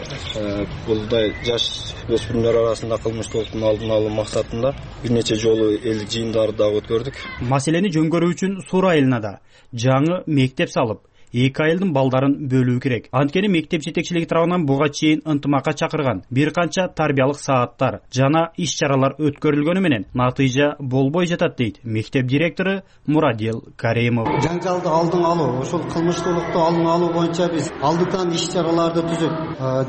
булдай жаш өспүрүмдөр арасында кылмыштуулуктун алдын алуу максатында бир нече жолу элдик жыйындарды дагы өткөрдүк. Маселени жөнгөрүү үчүн Сур айылына да жаңы мектеп салып, эки айылдын балдарын бөлүү керек. Анткени мектеп жетекчилиги тарабынан буга чейин ынтымакка чакырган бир канча тарбиялык сааттар жана иш-чаралар өткөрүлгөнү менен натыйжа болбой жатат дейт мектеп директору Мурадил Каримов. Жаңжалды алдын алуу, ошол кылмыштуулукту алдын алуу боюнча биз алдыдан иш-чараларды түзүп,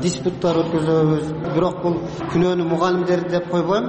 диспуттар өткөзөбүз. Бирок бул күнөөнү мугалимдер деп койбойм.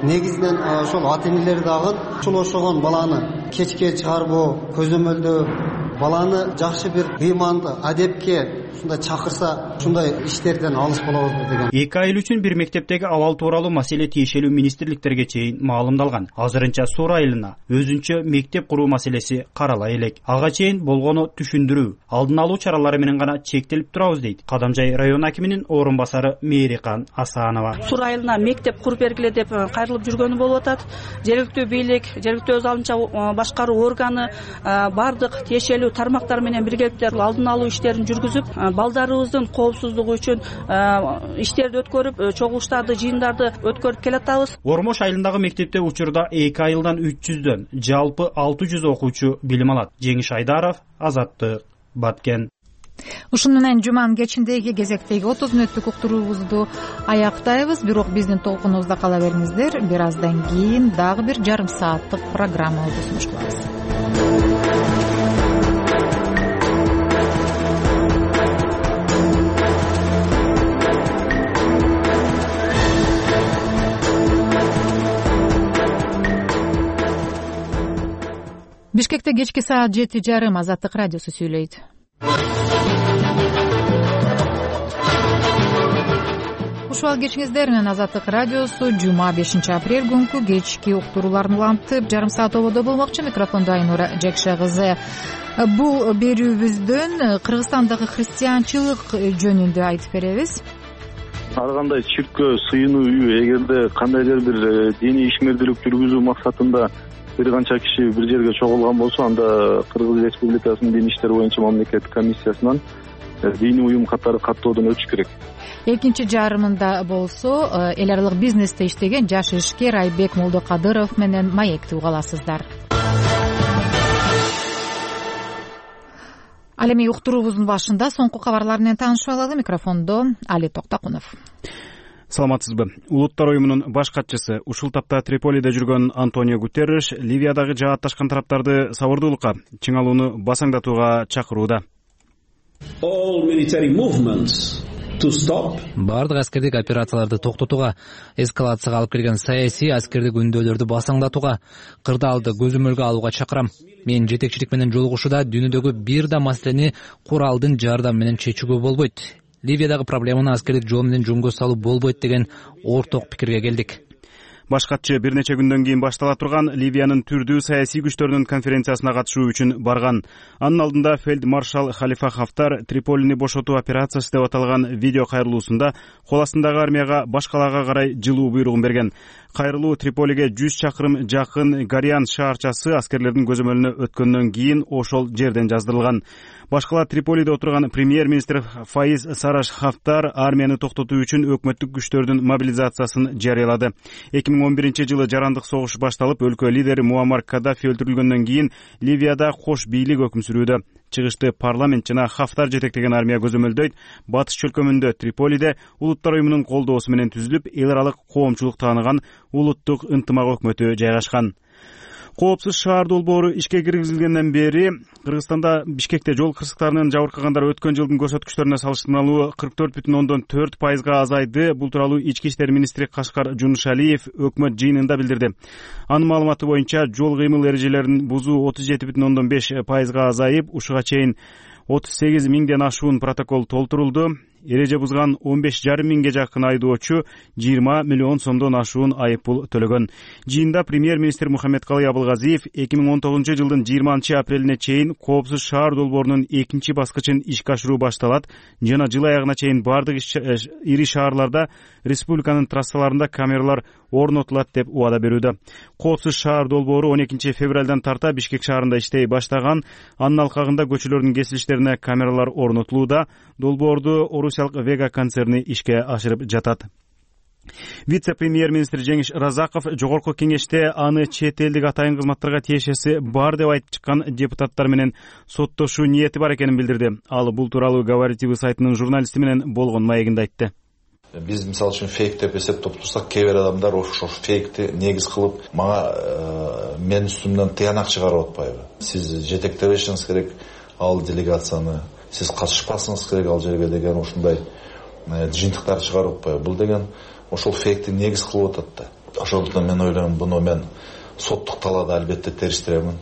Негизинен ошол ата-энелер дагы ушул ошогон баланы кечке чыгарбоо, көзөмөлдөө, баланы жакшы бир ыйманды адепке ушундай чакырса, ушундай иштерден алыс болобуз деген. Эки айыл үчүн бир мектептеги абал тууралуу маселе тиешелүү министрликтерге чейин маалымдалган. Азырынча Сур айылына өзүнчө мектеп куруу маселеси карала элек. Ага чейин болгону түшүндүрүү, алдын алуу чаралары менен гана чектелип турабыз дейт Кадамжай район акиминин орун басары Мээрикан Асанова. Сур айылына мектеп куруп бергиле деп кайрылып жүргөнү болуп атат. Жергиликтүү бийлик, жергиликтүү өз алынча башкаруу органы, бардык тиешелүү маанилүү тармактар менен биргеликте алдын алуу иштерин жүргүзүп, балдарыбыздын коопсуздугу үчүн иштерди өткөрүп, чогулуштарды, жыйындарды өткөрүп келатабыз. Ормош айылындагы мектепте учурда 2 айылдан 300дөн жалпы 600 окуучу билим алат. Жеңиш Айдаров, Азаттык, Баткен. Ушуну менен жуманын кечиндеги кезектеги 30 мүнөттүк уктуруубузду аяктайбыз. Бирок биздин толкунубузда кала бериңиздер. Бир аздан кийин дагы бир жарым сааттык программабызды сунуш кылабыз. Бишкекте кечки саат 7:30 Азаттык радиосу сүйлөйт. Ушул кечиңиздер менен Азаттык радиосу жума 5 апрель күнкү кечки уктурууларын улантып, жарым саат ободо болмокчу. Микрофондо Айнура Жекше кызы. Бул берүүбүздөн Кыргызстандагы христианчылык жөнүндө айтып беребиз. Ар кандай чиркөө, сыйынуу үйү эгерде кандайдыр бир диний ишмердүүлүк жүргүзүү максатында бир канча киши бир жерге чогулган болсо, анда Кыргыз Республикасынын дин иштери боюнча мамлекеттик комиссиясынан диний уюм катары каттоодон өтүш керек. Экинчи жарымында болсо эл аралык бизнесте иштеген жаш ишкер Айбек Молдокадыров менен маекти угаласыздар. Ал эми уктуруубуздун башында соңку кабарлар менен таанышып алалы. Микрофондо Али Токтакунов. Саламатсызбы? Улуттар уюмунун баш катчысы, ушул тапта Триполиде жүргөн Антонио Гутерриш Ливиядагы жаатташкан тараптарды сабырдуулукка, чыңалууну басаңдатууга чакырууда. Бардык аскердик операцияларды токтотууга, эскалацияга алып келген саясий аскердик үндөөлөрдү басаңдатууга, кырдаалды көзөмөлгө алууга чакырам. Мен жетекчилик менен жолугушууда дүйнөдөгү бир да маселени куралдын жардамы менен чечүүгө болбойт. Ливиядагы проблеманы аскердик жол менен жөнгө салуу болбойт деген орток пикирге келдик. Баш катчы бир нече күндөн кийин баштала турган Ливиянын түрдүү саясий күчтөрүнүн конференциясына катышуу үчүн барган. Анын алдында фельдмаршал Халифа Хафтар Триполини бошотуу операциясы деп аталган видео кайрылуусунда кол астындагы армияга башкалаага карай жылуу буйругун берген. Кайрылуу Триполиге 100 чакырым жакын Гариан шаарчасы аскерлердин көзөмөлүнө өткөндөн кийин ошол жерден жаздырылган. Башкала Триполиде отурган премьер-министр Фаиз Сараш Хафтар армияны токтотуу үчүн өкмөттүк күчтөрдүн мобилизациясын жарыялады. 2011-жылы жарандык согуш башталып, өлкө лидери Муаммар Каддафи өлтүрүлгөндөн кийин Ливияда кош бийлик өкүм сүрүүдө. Чыгышты парламент жана Хафтар жетектеген армия көзөмөлдөйт. Батыш чөлкөмүндө Триполиде улуттар уюмунун колдоосу менен түзүлүп, эл аралык коомчулук тааныган улуттук ынтымак өкмөтү жайгашкан. Коопсуз шаар долбоору ишке киргизилгенден бери Кыргызстанда Бишкекте жол кырсыктарынын жабыркагандар өткөн жылдын көрсөткүчтөрүнө салыштырмалуу 44,4% азайды. Бул тууралуу Ички иштер министри Кашкар Жунушалиев өкмөт жыйынында билдирди. Анын маалыматы боюнча жол кыймыл эрежелерин бузуу 37,5% азайып, ушуга чейин 38 миңден ашуун протокол толтурулду. Эреже бузган 15,5 миңге жакын айдоочу 20 миллион сомдон ашуун айыппул төлөгөн. Жыйында премьер-министр Мухаммедкалый Абылгазиев 2019 жылдын 20 апрелине чейин коопсуз шаар долбоорунун экинчи баскычын ишке ашыруу башталат жана жыл аягына чейин бардык ири шаарларда республиканын трассаларында камералар орнотулат деп убада берүүдө. Коопсуз шаар долбоору 12 февралдан тарта Бишкек шаарында иштей баштаган. Анын алкагында көчөлөрдүн кесилиштерине камералар орнотулууда. Долбоорду Орусиялык Вега концерни ишке ашырып жатат. Вице-премьер-министр Жеңиш Разаков жогорку кеңеште аны чет элдик атайын кызматтарга тиешеси бар деп айтып чыккан депутаттар менен соттошуу ниети бар экенин билдирди. Ал бул тууралуу Говоритивы сайтынын журналисти менен болгон маегинде айтты. Биз мисалы үчүн фейк деп эсептеп турсак, кээ бир адамдар ошо фейкти негиз кылып мага менин үстүмдөн тыянак чыгарып атпайбы? Сиз жетектебешиңиз керек ал делегацияны, сиз катышпасыңыз керек ал жерге деген ушундай жыйынтыктар чыгарып атпайбы? Бул деген ошол фейкти негиз кылып атат да. Ошондуктан мен ойлойм, буну мен соттук талаада албетте териштиремин.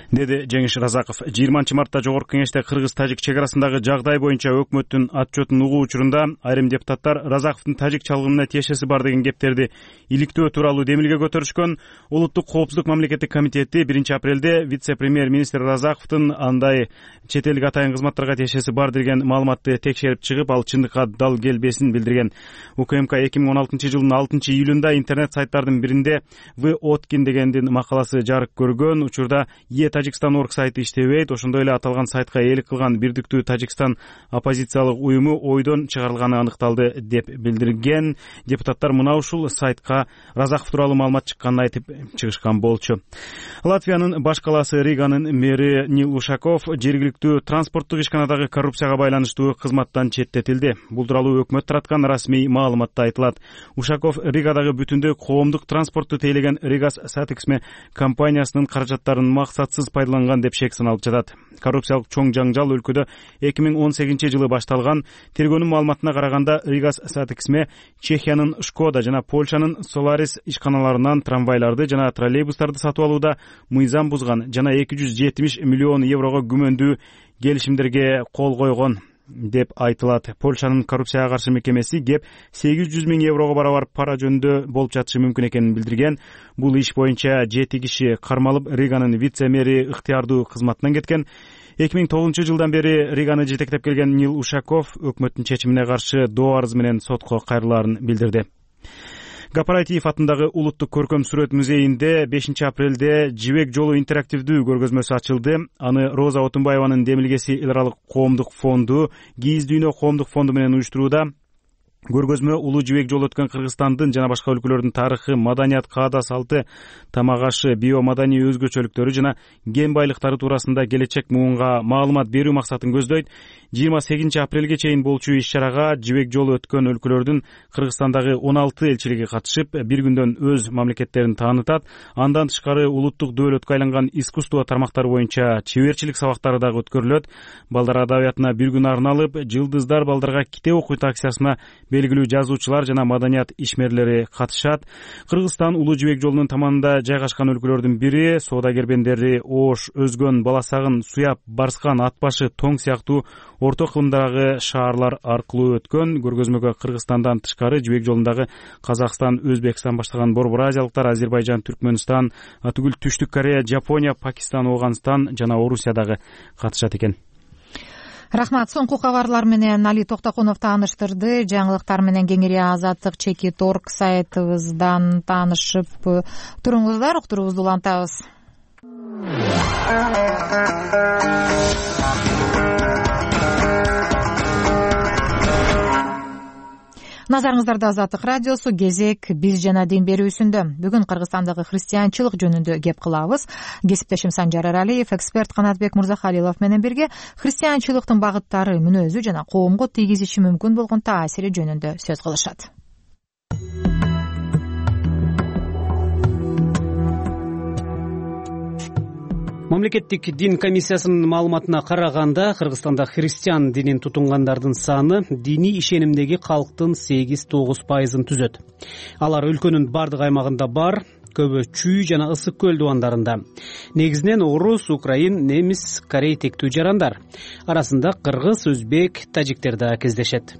Деди Жеңиш Разаков. 20 мартта жогорку кеңеште Кыргыз-Тажик чек арасындагы жагдай боюнча өкмөттүн отчетун угуу учурунда айрым депутаттар Разаковдун тажик чалгымына тиешеси бар деген кептерди иликтөө тууралуу демилге көтөрүшкөн. Улуттук коопсуздук мамлекеттик комитети 1 апрелде вице-премьер-министр Разаковдун андай чет элдик атайын кызматтарга тиешеси бар деген маалыматты текшерип чыгып, ал чындыкка дал келбесин билдирген. УКМК 2016 жылдын 6 июлунда интернет сайттардын биринде В. Откин дегендин макаласы жарык көргөн. Учурда Тажикстан орг сайты иштебейт. Ошондой эле аталган сайтка ээлик кылган Бирдиктүү Тажикстан оппозициялык уюму ойдон чыгарылганы аныкталды деп билдирген. Депутаттар мына ушул сайтка Разаков тууралуу маалымат чыкканын айтып чыгышкан болчу. Латвиянын баш калаасы Риганын мэри Нил Ушаков жергиликтүү транспорттук ишканадагы коррупцияга байланыштуу кызматтан четтетилди. Бул тууралуу өкмөт тараткан расмий маалыматта айтылат. Ушаков Ригадагы бүтүндөй коомдук транспортту тейлеген Ригас Сатексме компаниясынын каражаттарын максатсыз пайдаланган деп шек саналып жатат. Коррупциялык чоң жаңжал өлкөдө 2018-жылы башталган. Тергөөнүн маалыматына караганда Ригас Сатексме Чехиянын Шкода жана Польшанын Solaris ишканаларынан трамвайларды жана троллейбустарды сатып алууда мыйзам бузган жана 270 миллион еврого күмөндүү келишимдерге кол койгон деп айтылат. Польшанын коррупцияга каршы мекемеси кеп 800 000 еврого барабар пара жөнүндө болуп жатышы мүмкүн экенин билдирген. Бул иш боюнча 7 киши кармалып, Риганын вице-мэри ыктыярдуу кызматынан кеткен. 2009-жылдан бери Риганы жетектеп келген Нил Ушаков өкмөттүн чечимине каршы доо арыз менен сотко кайрылаарын билдирди. Гапаратиев атындагы улуттук көркөм сүрөт музейинде 5-апрелде Жибек жолу интерактивдүү көргөзмөсү ачылды. Аны Роза Отунбаеванын Демилгеси эл аралык коомдук фонду, Кийиз дүйнө коомдук фонду менен уюштурууда. Көргөзмө Улуу Жибек жолу өткөн Кыргызстандын жана башка өлкөлөрдүн тарыхы, маданият, каада салты, тамак ашы, биомаданий өзгөчөлүктөрү жана кен байлыктары туурасында келечек муунга маалымат берүү максатын көздөйт. 28-апрелге чейин болчу иш-чарага Жибек жолу өткөн өлкөлөрдүн Кыргызстандагы 16 элчилиги катышып, бир күндөн өз мамлекеттерин таанытат. Андан тышкары улуттук дөөлөткө айланган искусство тармактары боюнча чеберчилик сабактары дагы өткөрүлөт. Балдар адабиятына бир күн арналып, Жылдыздар балдарга китеп окуйт акциясына белгилүү жазуучулар жана маданият ишмерлери катышат. Кыргызстан Улуу Жибек жолунун таманында жайгашкан өлкөлөрдүн бири. Соода кербендери Ош, Өзгөн, Баласагын, Суяп, Барскан, Атбашы, Тоң сыяктуу орто кылымдагы шаарлар аркылуу өткөн. Көргөзмөгө Кыргызстандан тышкары Жибек жолундагы Казакстан, Өзбекстан баштаган Борбор Азиялыктар, Азербайжан, Түркмөнстан, атүгүл Түштүк Корея, Жапония, Пакистан, Ооганстан жана Орусия дагы катышат экен. Рахмат. Соңку кабарлар менен Али Токтокунов тааныштырды. Жаңылыктар менен кеңири Азаттык Чекит.орг сайтыбыздан таанышып туруңуздар. Уктуруубузду улантабыз. Назарыңыздарда Азаттык радиосу, кезек биз жана дин берүүсүндө. Бүгүн Кыргызстандагы христианчылык жөнүндө кеп кылабыз. Кесиптешим Санжар Аралиев, эксперт Канатбек Мурзахалилов менен бирге христианчылыктын багыттары, мүнөзү жана коомго тийгизиши мүмкүн болгон таасири жөнүндө сөз кылышат. Мамлекеттик дин комиссиясынын маалыматына караганда, Кыргызстанда христиан динин тутунгандардын саны диний ишенимдеги калктын 8-9% түзөт. Алар өлкөнүн бардык аймагында бар, көбү Чүй жана Ысык көл дубандарында. Негизинен орус, украин, немис, корей тектүү жарандар. Арасында кыргыз, өзбек, тажиктер да кездешет.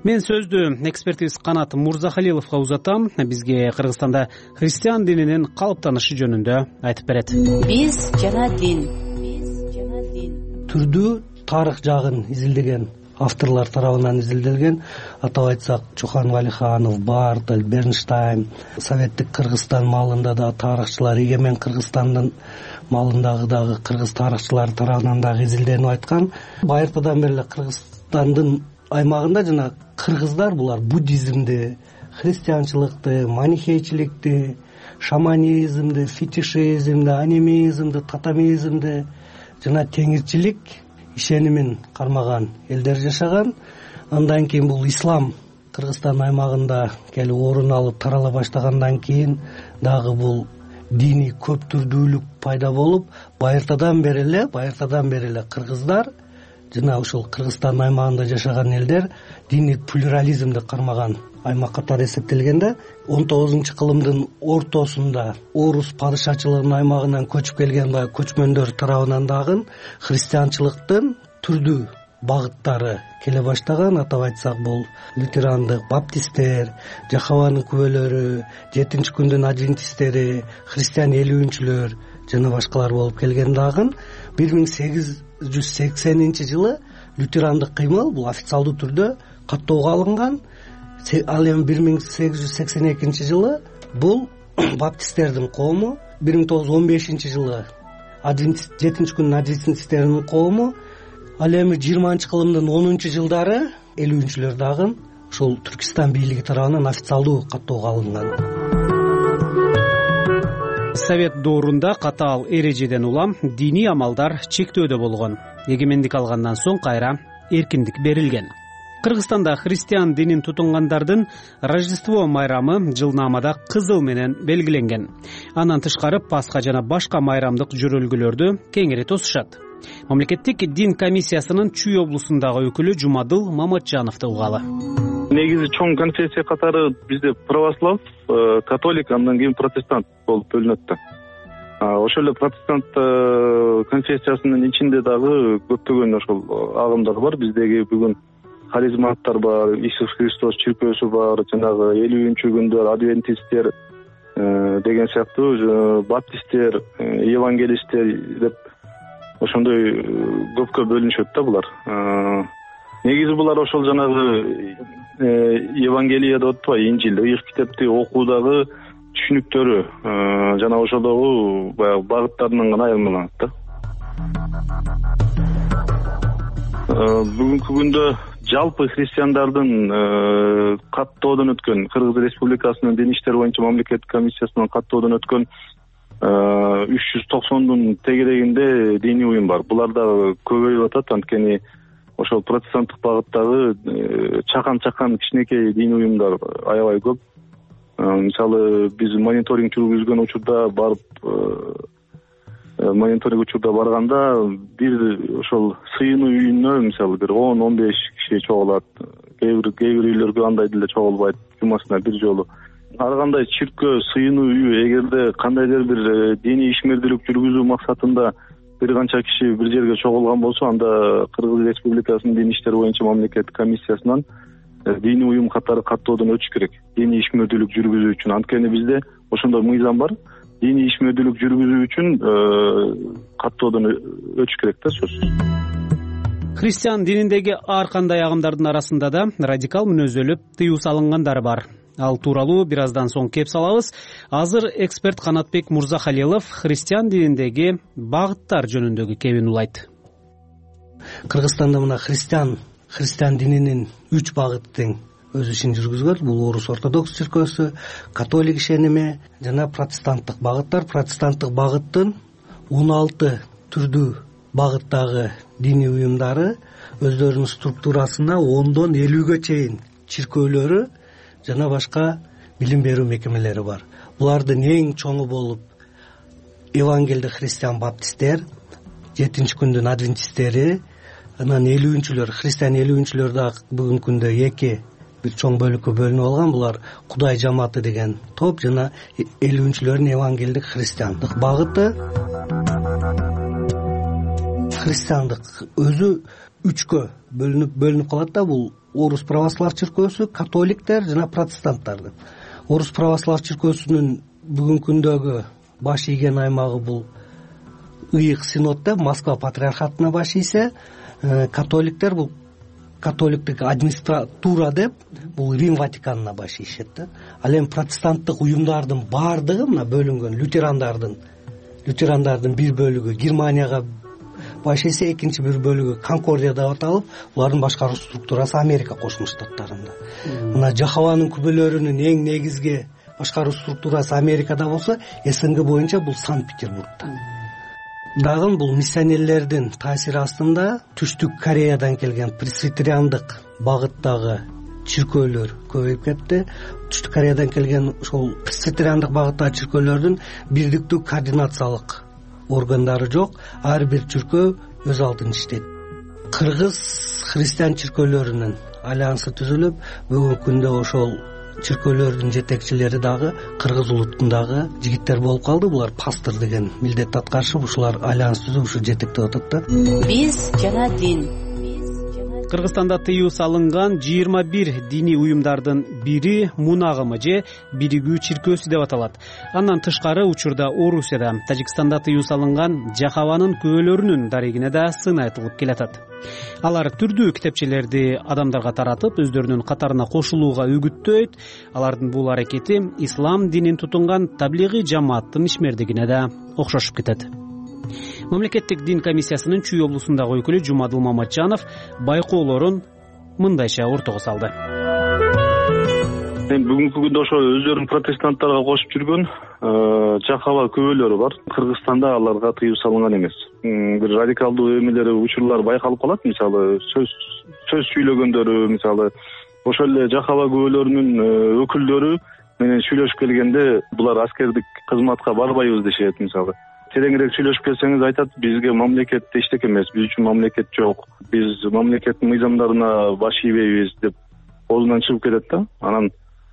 Мен сөздү экспертибиз Канат Мурзахалиловго узатам. Бизге Кыргызстанда христиан дининин калыптанышы жөнүндө айтып берет. Биз жана дин. Түрдүү тарых жагын изилдеген авторлор тарабынан изилделген. Атап айтсак, Чохан Валиханов, Бартель, Бернштайн, Советтик Кыргызстан маалында да тарыхчылар, Егемен Кыргызстандын маалындагы дагы кыргыз тарыхчылары тарабынан дагы изилденип айткан. Байыртадан бери Кыргызстандын аймагында жана кыргыздар булар буддизмди, христианчылыкты, манихейчиликти, шаманизмди, фетишизмди, анимизмди, татамизмди жана теңирчилик ишенимин кармаган элдер жашаган. Андан кийин бул ислам Кыргызстан аймагында келип орун алып тарала баштагандан кийин дагы бул диний көптүрдүүлүк пайда болуп, байыртадан бери эле кыргыздар жана ушул Кыргызстан аймагында жашаган элдер диний плюрализмди кармаган аймак катары эсептелгенде, 19-кылымдын ортосунда орус падышачылыгынын аймагынан көчүп келген көчмөндөр тарабынан дагы христианчылыктын түрдүү багыттары келе баштаган. Атап айтсак, бул лютерандык, баптисттер, Жахаванын күбөлөрү, 7-күндүн адвентисттери, христиан элүүнчүлөр жана башкалар болуп келген. Дагы 1880-жылы лютерандык кыймыл бул официалдуу түрдө каттоого алынган. Ал эми 1882-жылы бул баптисттердин коому, 1915-жылы жетинчи күндүн адвентисттеринин коому. Ал эми 20-кылымдын 10-жылдары 50-лөр дагы ушул Түркистан бийлиги тарабынан официалдуу каттоого алынган. Совет доорунда катаал эрежеден улам диний амалдар чектөөдө болгон. Эгемендик алгандан соң кайра эркиндик берилген. Кыргызстанда христиан динин тутунгандардын Рождество майрамы жылнаамада кызыл менен белгиленген. Андан тышкары Пасха жана башка майрамдык жөрөлгөлөрдү кеңири тосушат. Мамлекеттик дин комиссиясынын Чүй облусундагы өкүлү Жумадыл Маматжановду угалы. Негизи чоң конфессия катары бизде православ, католик, андан кийин протестант болуп бөлүнөт да. Ошол эле протестант конфессиясынын ичинде дагы көптөгөн ошол агымдар бар. Биздеги бүгүн харизматтар бар, Иисус Христос чиркөөсү бар, жанагы 50-күндөр адвентисттер деген сыяктуу, баптисттер, евангелисттер деп ошондой көпкө бөлүнүшөт да булар. Негизи булар ошол жанагы Евангелие деп атпайбы, Инжил, ыйык китепти окуудагы түшүнүктөрү жана ошолдогу баягы багыттарынан гана айырмаланат да. Бүгүнкү күндө жалпы христиандардын каттоодон өткөн, Кыргыз Республикасынын Дин иштер боюнча мамлекеттик комиссиясынын каттоодон өткөн 390дун тегерегинде диний уюм бар. Булар да көбөйүп атат, анткени ошол протестанттык багыттагы чакан кичинекей диний уюмдар аябай көп. Мисалы биз мониторинг жүргүзгөн учурда барганда бир ошол сыйынуу үйүнө мисалы бир 10-15 киши чогулат. Кээ бир үйлөргө андай деле чогулбайт, жумасына бир жолу. Ар кандай чиркөө, сыйынуу үйү, эгерде кандайдыр бир диний ишмердүүлүк жүргүзүү максатында бир канча киши бир жерге чогулган болсо, анда Кыргыз Республикасынын Дин иштер боюнча мамлекеттик комиссиясынан диний уюм катары каттоодон өтүш керек. Диний ишмердүүлүк жүргүзүү үчүн. Анткени бизде ошондой мыйзам бар. Диний ишмердүүлүк жүргүзүү үчүн каттоодон өтүш керек да, сөзсүз. Христиан дининдеги ар кандай агымдардын арасында да радикал мүнөзөлүп тыюу салынгандары бар. Ал тууралуу бир аздан соң кеп салабыз. Азыр эксперт Канатбек Мурзахалилов христиан дининдеги багыттар жөнүндөгү кебин улайт. Кыргызстанда мына христиан дининин 3 багыты тең өз ишин жүргүзгөн. Бул орус ортодокс чиркөөсү, католик ишеними жана протестанттык багыттар. Протестанттык багыттын 16 түрдүү багыттагы диний уюмдары өздөрүнүн структурасында 10дон 50ге чейин чиркөөлөрү жана башка билим берүү мекемелери бар. Булардын эң чоңу болуп Евангелдик христиан баптисттер, 7-күндүн адвентисттери, анан 50-лөр, христиан 50-лөр да бүгүнкү күндө 2 бир чоң бөлүккө бөлүнүп алган. Булар Кудай жамааты деген топ жана 50-лөрдүн Евангелдик христиандык багыты. Христиандык өзү 3кө бөлүнүп калат да. Бул орус православ чиркөөсү, католиктер жана протестанттар деп. Орус православ чиркөөсүнүн бүгүнкү күндөгү баш ийген аймагы бул ыйык синод деп, Москва патриархатына баш ийсе, католиктер бул католиктик администратура деп, бул Рим Ватиканына баш ийишет да. Ал эми протестанттык уюмдардын баардыгы мына бөлүнгөн. Лютерандардын бир бөлүгү Германияга баш ийсе, экинчи бир бөлүгү Конкордия деп аталып, булардын башкаруу структурасы Америка Кошмо Штаттарында. Мына Жахованын күбөлөрүнүн эң негизги башкаруу структурасы Америкада болсо, СНГ боюнча бул Санкт-Петербургда. Дагы бул миссионерлердин таасири астында Түштүк Кореядан келген пресвитериандык багыттагы чиркөөлөр көбөйүп кетти. Түштүк Кореядан келген ошол пресвитериандык багыттагы чиркөөлөрдүн бирдиктүү координациялык органдары жок. Ар бир чиркөө өз алдын иштейт. Кыргыз христиан чиркөөлөрүнүн альянсы түзүлүп, бүгүнкү күндө ошол чиркөөлөрдүн жетекчилери дагы кыргыз улутундагы жигиттер болуп калды. Булар пастор деген милдетти аткарышып, ушулар альянс түзүп, ушу жетектеп атат да. Биз жана дин. Кыргызстанда тыюу салынган 21 диний уюмдардын бири Мун агымы же биригүү чиркөөсү деп аталат. Андан тышкары учурда Орусияда, Тажикстанда тыюу салынган Жахаванын күбөлөрүнүн дарегине да сын айтылып келатат. Алар түрдүү китепчелерди адамдарга таратып, өздөрүнүн катарына кошулууга үгүттөйт. Алардын бул аракети ислам динин тутунган таблигый жамааттын ишмердигине да окшошуп кетет. мамлекеттик дин комиссиясынын Чүй облусундагы өкүлү Жумадыл Маматжанов байкоолорун мындайча ортого салды. Бүгүнкү күндө ошо өздөрүн протестанттарга кошуп жүргөн жакаба күбөлөрү бар. Кыргызстанда аларга тыюу салынган эмес. Бир радикалдуу эмелери, учурлар байкалып калат. Мисалы сөз сүйлөгөндөрү, мисалы ошол эле жакаба күбөлөрүнүн өкүлдөрү менен сүйлөшүп келгенде булар аскердик кызматка барбайбыз дешет. Мисалы тереңирээк сүйлөшүп келсеңиз айтат, бизге мамлекет эчтеке эмес, биз үчүн мамлекет жок, биз мамлекеттин мыйзамдарына баш ийбейбиз деп оозунан чыгып кетет да. Анан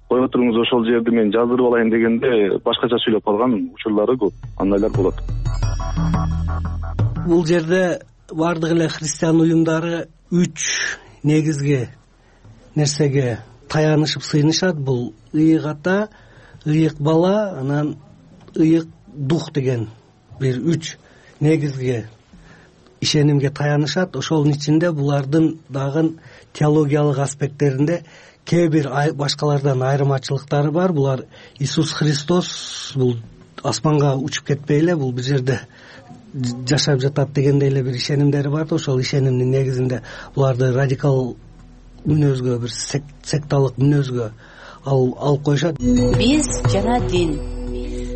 кое туруңуз, ошол жерди мен жаздырып алайын дегенде башкача сүйлөп калган учурлары көп, андайлар болот. Бул жерде бардык эле христиан уюмдары 3 негизги нерсеге таянышып сыйынышат. Бул ыйык ата, ыйык бала, анан ыйык дух деген бир 3 негизги ишенимге таянышат. Ошонун ичинде булардын дагы теологиялык аспекттеринде кээ бир башкалардан айырмачылыктары бар. Булар Иисус Христос бул асманга учуп кетпей эле бул бир жерде жашап жатат дегендей эле бир ишенимдери бар да. Ошол ишенимдин негизинде буларды радикал мүнөзгө, бир секталык мүнөзгө алып коюшат. Биз жана дин.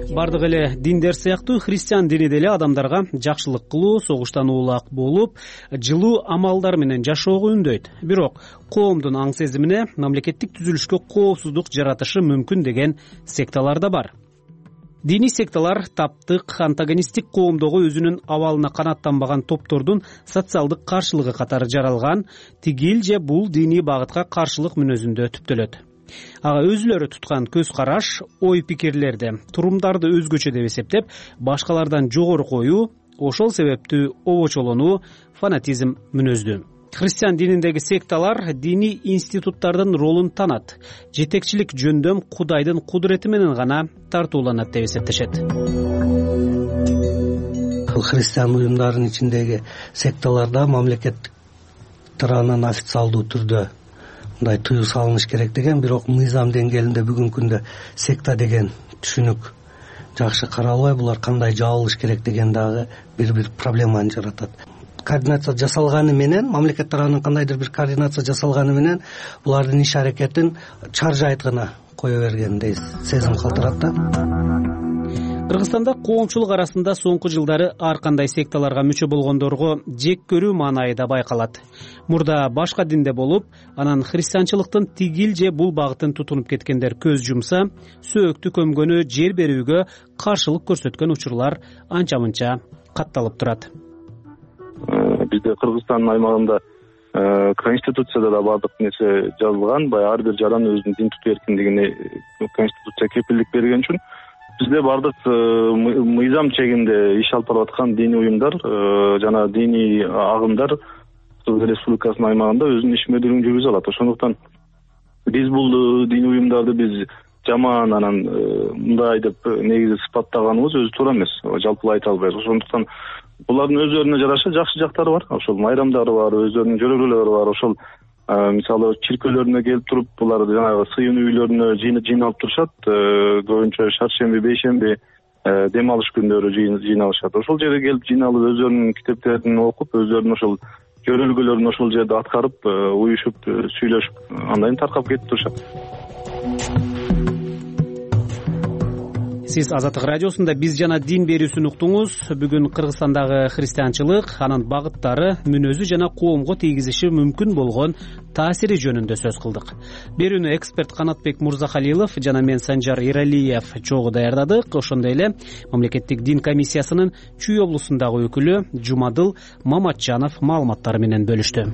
Бардык эле диндер сыяктуу христиан дини деле адамдарга жакшылык кылуу, согуштан улак болуп, жылуу амалдар менен жашоого үндөйт. Бирок коомдун аң сезимине мамлекеттик түзүлүшкө коопсуздук жаратышы мүмкүн деген секталар да бар. Диний секталар таптык, антагонисттик коомдогу өзүнүн абалына канааттанбаган топтордун социалдык каршылыгы катары жаралган, тигил же бул диний багытка каршылык мүнөзүндө түптөлөт. Ага өзүлөрү туткан көз караш, ой пикирлерди, турумдарды өзгөчө деп эсептеп, башкалардан жогору коюу, ошол себептүү обочолонуу, фанатизм мүнөздүү. Христиан дининдеги секталар диний институттардын ролун танат, жетекчилик жөндөм Кудайдын кудурети менен гана тартууланат деп эсептешет. Христиан уюмдарынын ичиндеги секталарда мамлекеттик тарабынан официалдуу түрдө мындай тыюу салыныш керек деген, бирок мыйзам деңгээлинде бүгүнкү күндө секта деген түшүнүк жакшы каралбай, булар кандай жабылыш керек деген дагы бир проблеманы жаратат. Координация жасалганы менен, мамлекет тарабынан кандайдыр бир координация жасалганы менен булардын иш аракетин чаржайт гана кое бергендей сезим калтырат да. Кыргызстанда коомчулук арасында соңку жылдары ар кандай секталарга мүчө болгондорго жек көрүү маанайы да байкалат. Мурда башка динде болуп, анан христианчылыктын тигил же бул багытын тутунуп кеткендер көз жумса, сөөктү көмгөнү, жер берүүгө каршылык көрсөткөн учурлар анча-мынча катталып турат. Бизде Кыргызстандын аймагында конституцияда да бардык нерсе жазылган. Ар бир жаран өзүнүн дин тутуу эркиндигине конституция кепилдик берген үчүн бизде бардык мыйзам чегинде иш алып барып аткан диний уюмдар жана диний агымдар Кыргыз Республикасынын аймагында өзүнүн ишмердүүлүгүн жүргүзө алат. Ошондуктан биз бул диний уюмдарды биз жаман анан мындай деп негизи сыпаттаганыбыз өзү туура эмес, жалпылай айта албайбыз. Ошондуктан булардын өздөрүнө жараша жакшы жактары бар, ошол майрамдары бар, өздөрүнүн жөрөгөлөрү бар. Ошол мисалы чиркөөлөрүнө келип туруп булар жанагы сыйын үйлөрүнө жыйналып турушат. Көбүнчө шаршемби, бейшемби дем алыш күндөрү жыйналышат. Ошол жерге келип жыйналып өздөрүнүн китептерин окуп, өздөрүнүн ошол жөрөлгөлөрүн ошол жерде аткарып, уюшуп, сүйлөшүп, андан кийин таркап кетип турушат. Сиз Азаттык радиосунда биз жана дин берүүсүн уктуңуз. Бүгүн Кыргызстандагы христианчылык, анын багыттары, мүнөзү жана коомго тийгизиши мүмкүн болгон таасири жөнүндө сөз кылдык. Берүүнү эксперт Канатбек Мурзахалилов жана мен Санжар Иралиев чогуу даярдадык. Ошондой эле мамлекеттик дин комиссиясынын Чүй облусундагы өкүлү Жумадыл Маматжанов маалыматтары менен бөлүштү.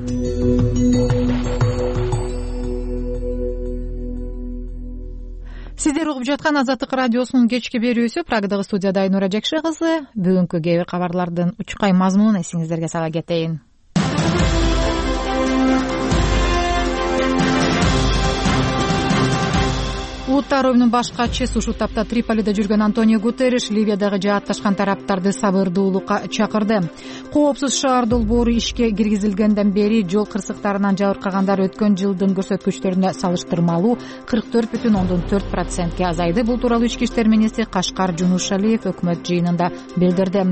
Сиздер угуп жаткан Азаттык радиосунун кечки берүүсү. Прагадагы студияда Айнура Жекше кызы. Бүгүнкү кээ бир кабарлардын учкай мазмунун эсиңиздерге сала кетейин. Улуттар оюнунун баш катчысы ушул тапта Триполиде жүргөн Антонио Гутерриш Ливиядагы жаатташкан тараптарды сабырдуулукка чакырды. Коопсуз шаар долбоору ишке киргизилгенден бери жол кырсыктарынан жабыркагандар өткөн жылдын көрсөткүчтөрүнө салыштырмалуу 44,4%ге азайды. Бул тууралуу ички иштер министри Кашкар Жунушалиев өкмөт жыйынында билдирди.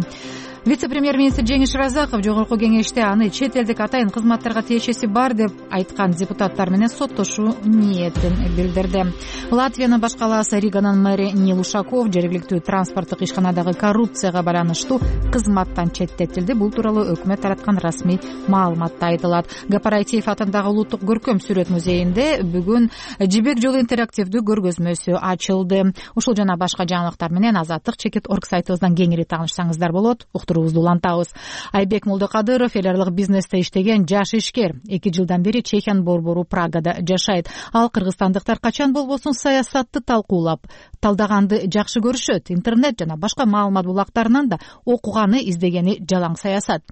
Вице премьер-министр Жеңиш Разаков жогорку кеңеште аны чет элдик атайын кызматтарга тиешеси бар деп айткан депутаттар менен соттошуу ниетин билдирди. Латвиянын баш калаасы Риганын мэри Нил Ушаков жергиликтүү транспорттук ишканадагы коррупцияга байланыштуу кызматтан четтетилди. Бул тууралуу өкмөт тараткан расмий маалыматта айтылат. Гапарайтиев атындагы улуттук көркөм сүрөт музейинде бүгүн Жибек жолу интерактивдүү көргөзмөсү ачылды. Ушул жана башка жаңылыктар менен Азаттык Чекит орг сайтыбыздан кеңири таанышсаңыздар болот. Уктуруубузду улантабыз. Айбек Молдокадыров эл аралык бизнесте иштеген жаш ишкер. 2 жылдан бери Чехиянын борбору Прагада жашайт. Ал кыргызстандыктар качан болбосун саясатты талкуулап, талдаганды жакшы көрүшөт. Интернет жана башка маалымат булактарынан да окуганы, издегени жалаң саясат.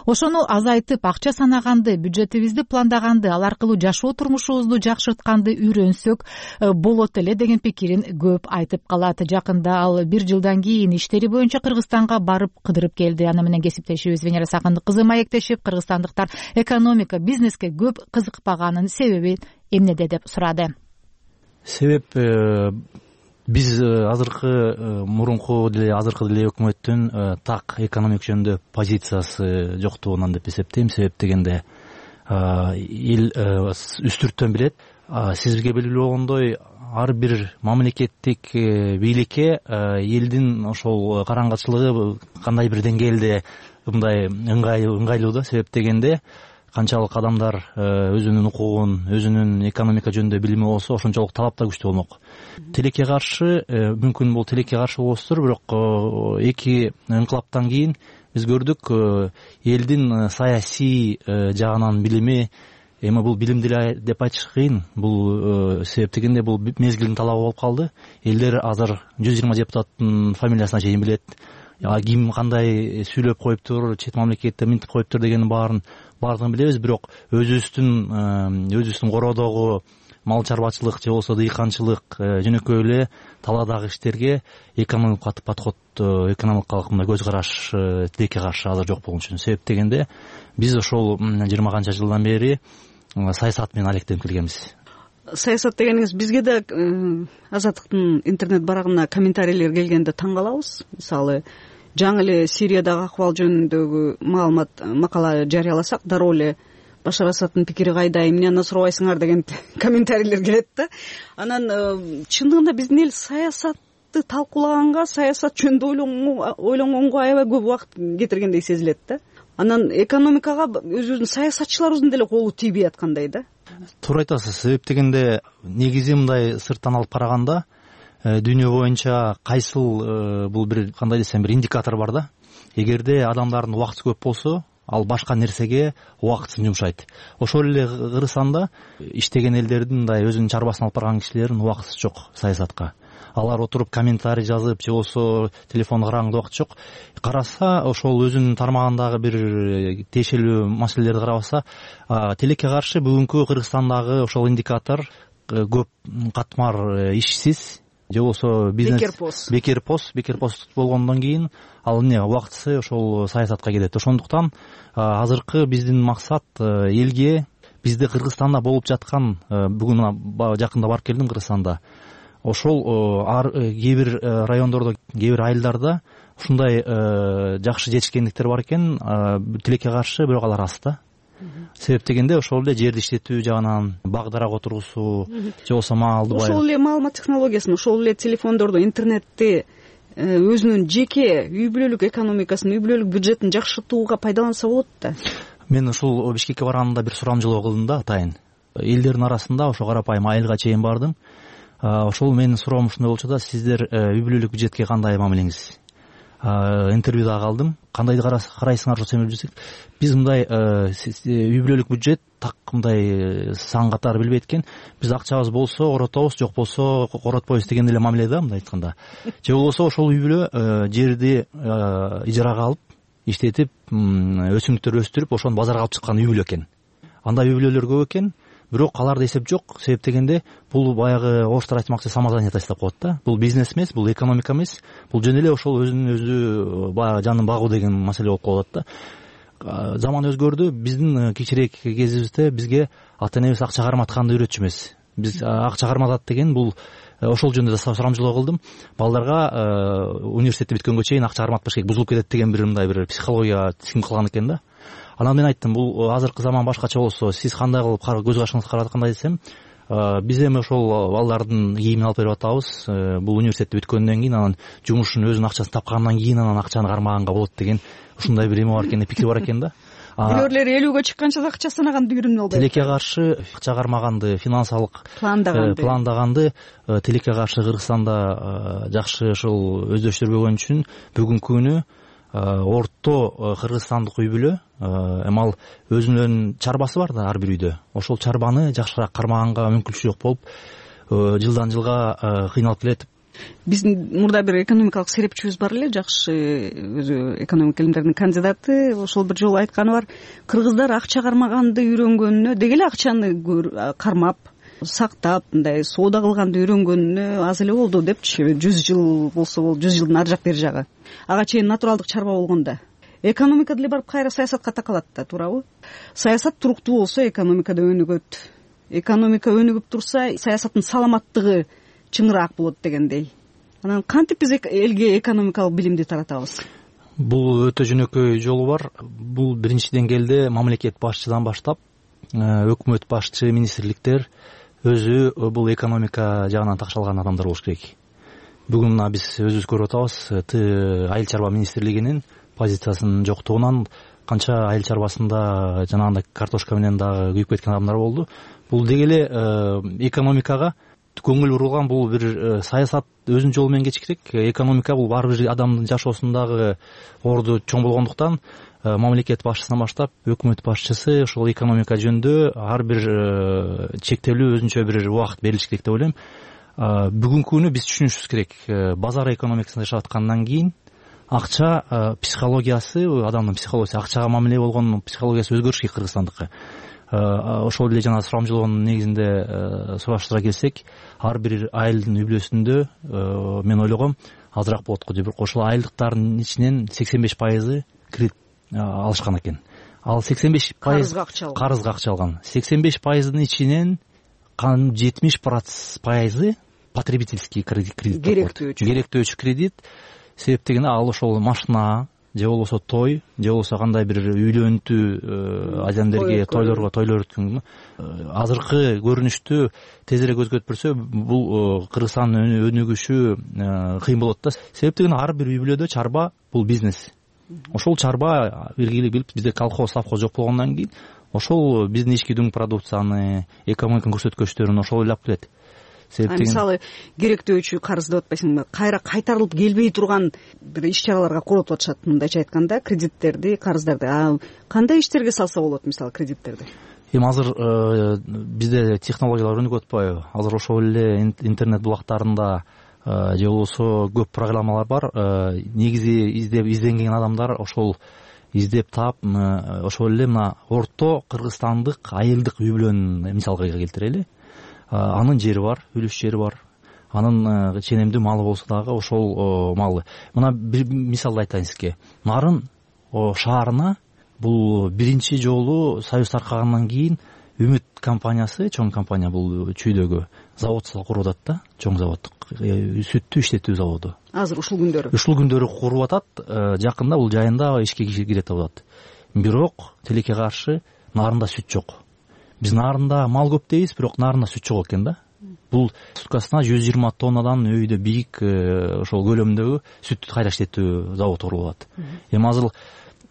Ошону азайтып, акча санаганды, бюджетибизди пландаганды, ал аркылуу жашоо турмушубузду жакшыртканды үйрөнсөк болот эле деген пикирин көп айтып калат. Жакында ал 1 жылдан кийин иштери боюнча Кыргызстанга барып кыдырып келди. Аны менен кесиптешибиз Венера Сакындык кызы маектешип, кыргызстандыктар экономика, бизнеске көп кызыкпаганын себеби эмнеде деп сурады. Себеп биз мурунку деле өкмөттүн так экономик жөнүндө позициясы жоктугунан деп эсептейм. Себеп дегенде эл үстүрттөн билет. Сизге белгилүү болгондой ар бир мамлекеттик бийликке элдин ошол караңгычылыгы кандай бир деңгээлде мындай ыңгайлуу да. Себеп дегенде канчалык адамдар өзүнүн укугун, өзүнүн экономика жөнүндө билими болсо, ошончолук талап да күчтүү болмок. Тилекке каршы мүмкүн бул тилекке каршы болосуздар, бирок 2 ыңкылаптан кийин биз көрдүк элдин саясий жагынан билими, эми бул билим деле деп айтыш кыйын. Бул себеп дегенде бул мезгилдин талабы болуп калды. Элдер азыр 120 депутаттын фамилиясына чейин билет. Ким кандай сүйлөп коюптур, чет мамлекетте минтип коюптур дегенин баардыгын билебиз. Бирок өзүбүздүн кородогу мал чарбачылык же болбосо дыйканчылык жөнөкөй эле таладагы иштерге экономикалык подход, экономикалык мындай көз караш тилекке каршы азыр жок болгон үчүн. Себеп дегенде биз ошол 20 канча жылдан бери саясат менен алектенип келгенбиз. Саясат дегениңиз бизге да Азаттыктын интернет барагына комментарийлер келгенде таң калабыз. Мисалы, жаңы эле Сириядагы акыбал жөнүндөгү макала жарыяласак, дароо эле Башар Асадтын пикири кайда, эмне аны сурабайсыңар деген комментарийлер келет да. Анан чындыгында биздин эл саясатты талкуулаганга, саясат жөнүндө ойлонгонго аябай көп убакыт кетиргендей сезилет да. Анан экономикага өзүбүздүн саясатчыларыбыздын деле колу тийбей аткандай да. Туура айтасыз. Себеп дегенде негизи мындай сырттан алып караганда дүйнө боюнча кайсыл бул бир кандай десем бир индикатор бар да. Эгерде адамдардын убакыты көп болсо, ал башка нерсеге убактысын жумшайт. Ошол эле Кыргызстанда иштеген элдердин мындай өзүнүн чарбасын алып барган кишилердин убактысы жок саясатка. Алар отуруп комментарий жазып же болбосо телефон караганда убакыт жок. Караса, ошол өзүнүн тармагындагы бир тиешелүү маселелерди карабаса, тилекке каршы бүгүнкү Кыргызстандагы ошол индикатор көп катмар ишсиз же болбосо бизнес бекер пост болгондон кийин ал эмне убактысы ошол саясатка кетет. Ошондуктан азыркы биздин максат элге бизде Кыргызстанда болуп жаткан, бүгүн жакында барып келдим Кыргызстанда, ошол кээ бир райондордо, кээ бир айылдарда ушундай жакшы жетишкендиктер бар экен, тилекке каршы бирок алар аз да. Себеп дегенде ошол эле жерди иштетүү жагынан багдарак отургусуу же болбосо маалды ошол эле маалымат технологиясын, ошол эле телефондорду, интернетти өзүнүн жеке үй бүлөлүк экономикасын, үй бүлөлүк бюджетин жакшыртууга пайдаланса болот да. Мен ушул Бишкекке барганда бир сурамжылоо кылдым да, атайын. Элдердин арасында ошо карапайым айылга чейин бардым. Ошол менин суроом ушундай болчу да: сиздер үй бүлөлүк бюджетке кандай мамилеңиз? Интервью да калдым. Кандайды карайсыңар ошо семир бюджет? Биз мындай үй бүлөлүк бюджет так мындай сан катары билбейт экен. Биз акчабыз болсо оротобуз, жок болсо коротпойбуз деген эле мамиле да, мындай айтканда. Же болбосо ошол үй бүлө жерди ижарага алып, иштетип, өсүмдүктөр өстүрүп, ошону базарга алып чыккан үй бүлө экен. Андай үй бүлөлөр көп экен. Бирок аларда эсеп жок. Себеп дегенде бул баягы орустар айтмакчы самозанятый деп коет да. Бул бизнес эмес, бул экономика эмес. Бул жөн эле ошол өзүнүн өзү баягы жанын багуу деген маселе болуп калат да. Заман өзгөрдү. Биздин кичирээк кезибизде бизге ата энебиз акча карматканды үйрөтчү эмес. Биз акча карматат деген бул ошол жөнүндө да сурамжылоо кылдым. Балдарга университетти бүткөнгө чейин акча карматпаш керек, бузулуп кетет деген мындай бир психология сиңип калган экен да. Анан мен айттым, бул азыркы заман башкача болсо, сиз кандай кылып көз кашыңызды караткандай десем, биз эми ошол балдардын кийимин алып берип атабыз. Бул университетти бүткөндөн кийин анан жумушун өзүнүн акчасын тапкандан кийин анан акчаны кармаганга болот деген ушундай бир эме бар экен, пикир бар экен да. Бирөөлөр 50-гө чыкканча да акча санаганды үйрөнүп албайбы? Тилекке каршы акча кармаганды, финансалык пландаганды тилекке каршы Кыргызстанда жакшы ушул өздөштүрбөгөн үчүн бүгүнкү күнү орто кыргызстандык үй бүлө эми ал өзүнүн чарбасы бар да ар бир үйдө. Ошол чарбаны жакшыраак кармаганга мүмкүнчүлүк болуп, жылдан жылга кыйналып келет. Биздин мурда бир экономикалык серепчибиз бар эле, жакшы өзү экономика илимдеринин кандидаты, ошол бир жолу айтканы бар, кыргыздар акча кармаганды үйрөнгөнүнө, деги эле акчаны кармап, сактап, мындай соода кылганды үйрөнгөнүнө аз эле болду депчи. 100 жыл болсо болду, 100 жылдын ары жак бери жагы. Ага чейин натуралдык чарба болгондо. Экономика деле барып кайра саясатка такалат да, туурабы? Саясат туруктуу болсо экономика да өнүгөт. Экономика өнүгүп турса, саясаттын саламаттыгы чыңыраак болот дегендей. Анан кантип биз элге экономикалык билимди таратабыз? Бул өтө жөнөкөй жолу бар. Бул биринчи деңгээлде мамлекет башчыдан баштап, өкмөт башчы, министрликтер өзү бул экономика жагынан такшалган адамдар болуш керек. Бүгүн биз өзүбүз көрүп атабыз, айыл чарба министрлигинин позициясынын жоктугунан канча айыл чарбасында жанагындай картошка менен дагы күйүп кеткен адамдар болду. Бул деги эле экономикага көңүл бурулган, бул бир саясат өзүнүн жолу менен кетиш керек. Экономика бул ар бир адамдын жашоосундагы орду чоң болгондуктан мамлекет башчысынан баштап өкмөт башчысы ошол экономика жөнүндө ар бир чектелүү өзүнчө бир убакыт берилиш керек деп ойлойм. Бүгүнкү күнү биз түшүнүшүбүз керек, базар экономикасында жашап аткандан кийин акча психологиясы, адамдын психологиясы, акчага мамиле болгон психологиясы өзгөрүш керек Кыргызстандыкы. Ошол эле жана сурамжылоонун негизинде сураштыра келсек, ар бир айылдын үй бүлөсүндө мен ойлогом азыраак болот го, бирок ошол айылдыктардын ичинен 85% кредит алышкан экен. Ал 85% карызга акча алган. 85%дын ичинен 70% потребительский кредит, керектөөчү кредит. Себеп дегенде ал ошол машина, же болбосо той, же болбосо кандай бир үйлөнтүү адамдерге тойлор өткөн. Азыркы көрүнүштү тезирээк өзгөртпөсө, бул Кыргызстандын өнүгүшү кыйын болот да. Себеп дегенде ар бир үй бүлөдө чарба бул бизнес. Ошол чарба белгилүү билип, бизде колхоз, совхоз жок болгондон кийин ошол биздин ички дүң продукцияны, экономиканын көрсөткүчтөрүн ошол ойлоп келет. Мисалы, керектөөчү карыз деп атпайсыңбы? Кайра кайтарылып келбей турган бир иш-чараларга коротуп атышат, мындайча айтканда, кредиттерди, карыздарды. Кандай иштерге салса болот, мисалы, кредиттерди? Эми азыр бизде технологиялар өнүгүп атпайбы? Азыр ошол эле интернет булактарында же болбосо көп программалар бар. Негизи изденген адамдар ошол издеп таап, ошол эле мына орто кыргызстандык айылдык үй бүлөнүн мисалга келтирели. Анын жери бар, үлүш жери бар. Анын ченемдүү малы болсо дагы ошол малы. Мына бир мисалды айтайын сизге. Нарын шаарына бул биринчи жолу Союз таркагандан кийин Үмүт компаниясы, чоң компания, бул чүйдөгү завод куруп атат да, чоң завод, сүттү иштетүү заводу. Азыр ушул күндөрү? Ушул күндөрү куруп атат, жакында бул жайында ишке кирет деп атат. Бирок тилекке каршы нарында сүт жок. Биз нарында мал көп дейбиз, бирок нарында сүт жок экен да. Бул суткасына 120 тоннадан өйдө бийик ошол көлөмдөгү сүттү кайра иштетүү завод курулуп атат. Эми азыр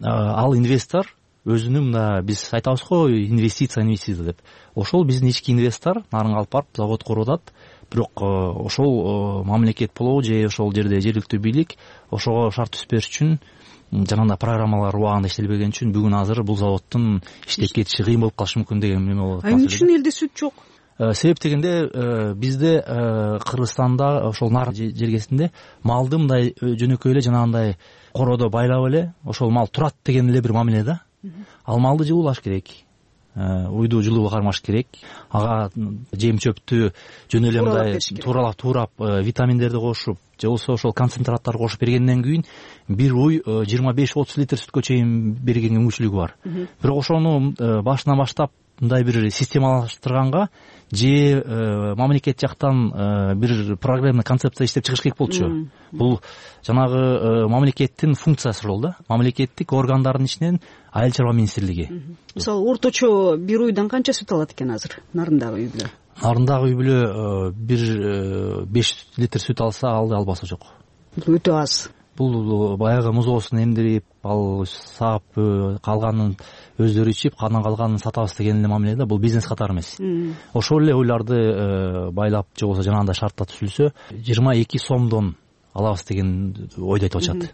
ал инвестор өзүнүн, мына биз айтабыз го, инвестиция деп. Ошол биздин ички инвестор нарынга алып барып завод куруп атат. Бирок ошол мамлекет болобу же ошол жерде жергиликтүү бийлик ошого шарт түзбөш үчүн жанагындай программалар убагында иштелбеген үчүн бүгүн азыр бул заводдун иштеп кетиши кыйын болуп калышы мүмкүн деген эме болот. Эмне үчүн элде сүт жок? Себеп дегенде бизде Кыргызстанда ошол нар жергесинде малды мындай жөнөкөй эле жанагындай короодо байлап эле ошол мал турат деген эле бир мамиле да. Ал малды жылуулаш керек, уйду жылуу кармаш керек, ага жем чөптү жөн эле мындай туурап витаминдерди кошуп, же болбосо ошол концентраттарды кошуп бергенден кийин бир уй 25-30 литр сүткө чейин бергенге мүмкүнчүлүгү бар. Бирок ошону башынан баштап мындай бир системалаштырганга же мамлекет жактан бир программа концепция иштеп чыгыш керек болчу. Бул жанагы мамлекеттин функциясы болду да. Мамлекеттик органдардын ичинен айыл чарба министрлиги. Мисалы орточо бир уйдан канча сүт алат экен азыр нарындагы үй бүлө? Нарындагы үй бүлө бир 5 литр сүт алса албасы жок. Бул өтө аз. Бул баягы музоосун эмдирип, ал саап калганын өздөрү ичип, анан калганын сатабыз деген эле мамиле да. Бул бизнес катары эмес. Ошол эле уйларды байлап же болбосо жанагындай шартта түзүлсө 22 сомдон алабыз деген ойду айтып атышат.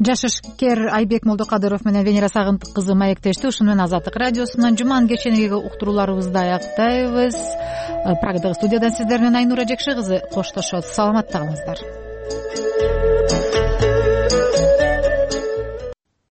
Жаш ишкер Айбек Молдокадыров менен Венера Сагынтык кызы маектешти. Ушуну менен Азаттык радиосунан жуманын кеченеги уктурууларыбызды аяктайбыз. Прагадагы студиядан сиздер менен Айнура Жекши кызы коштошот. Саламатта калыңыздар.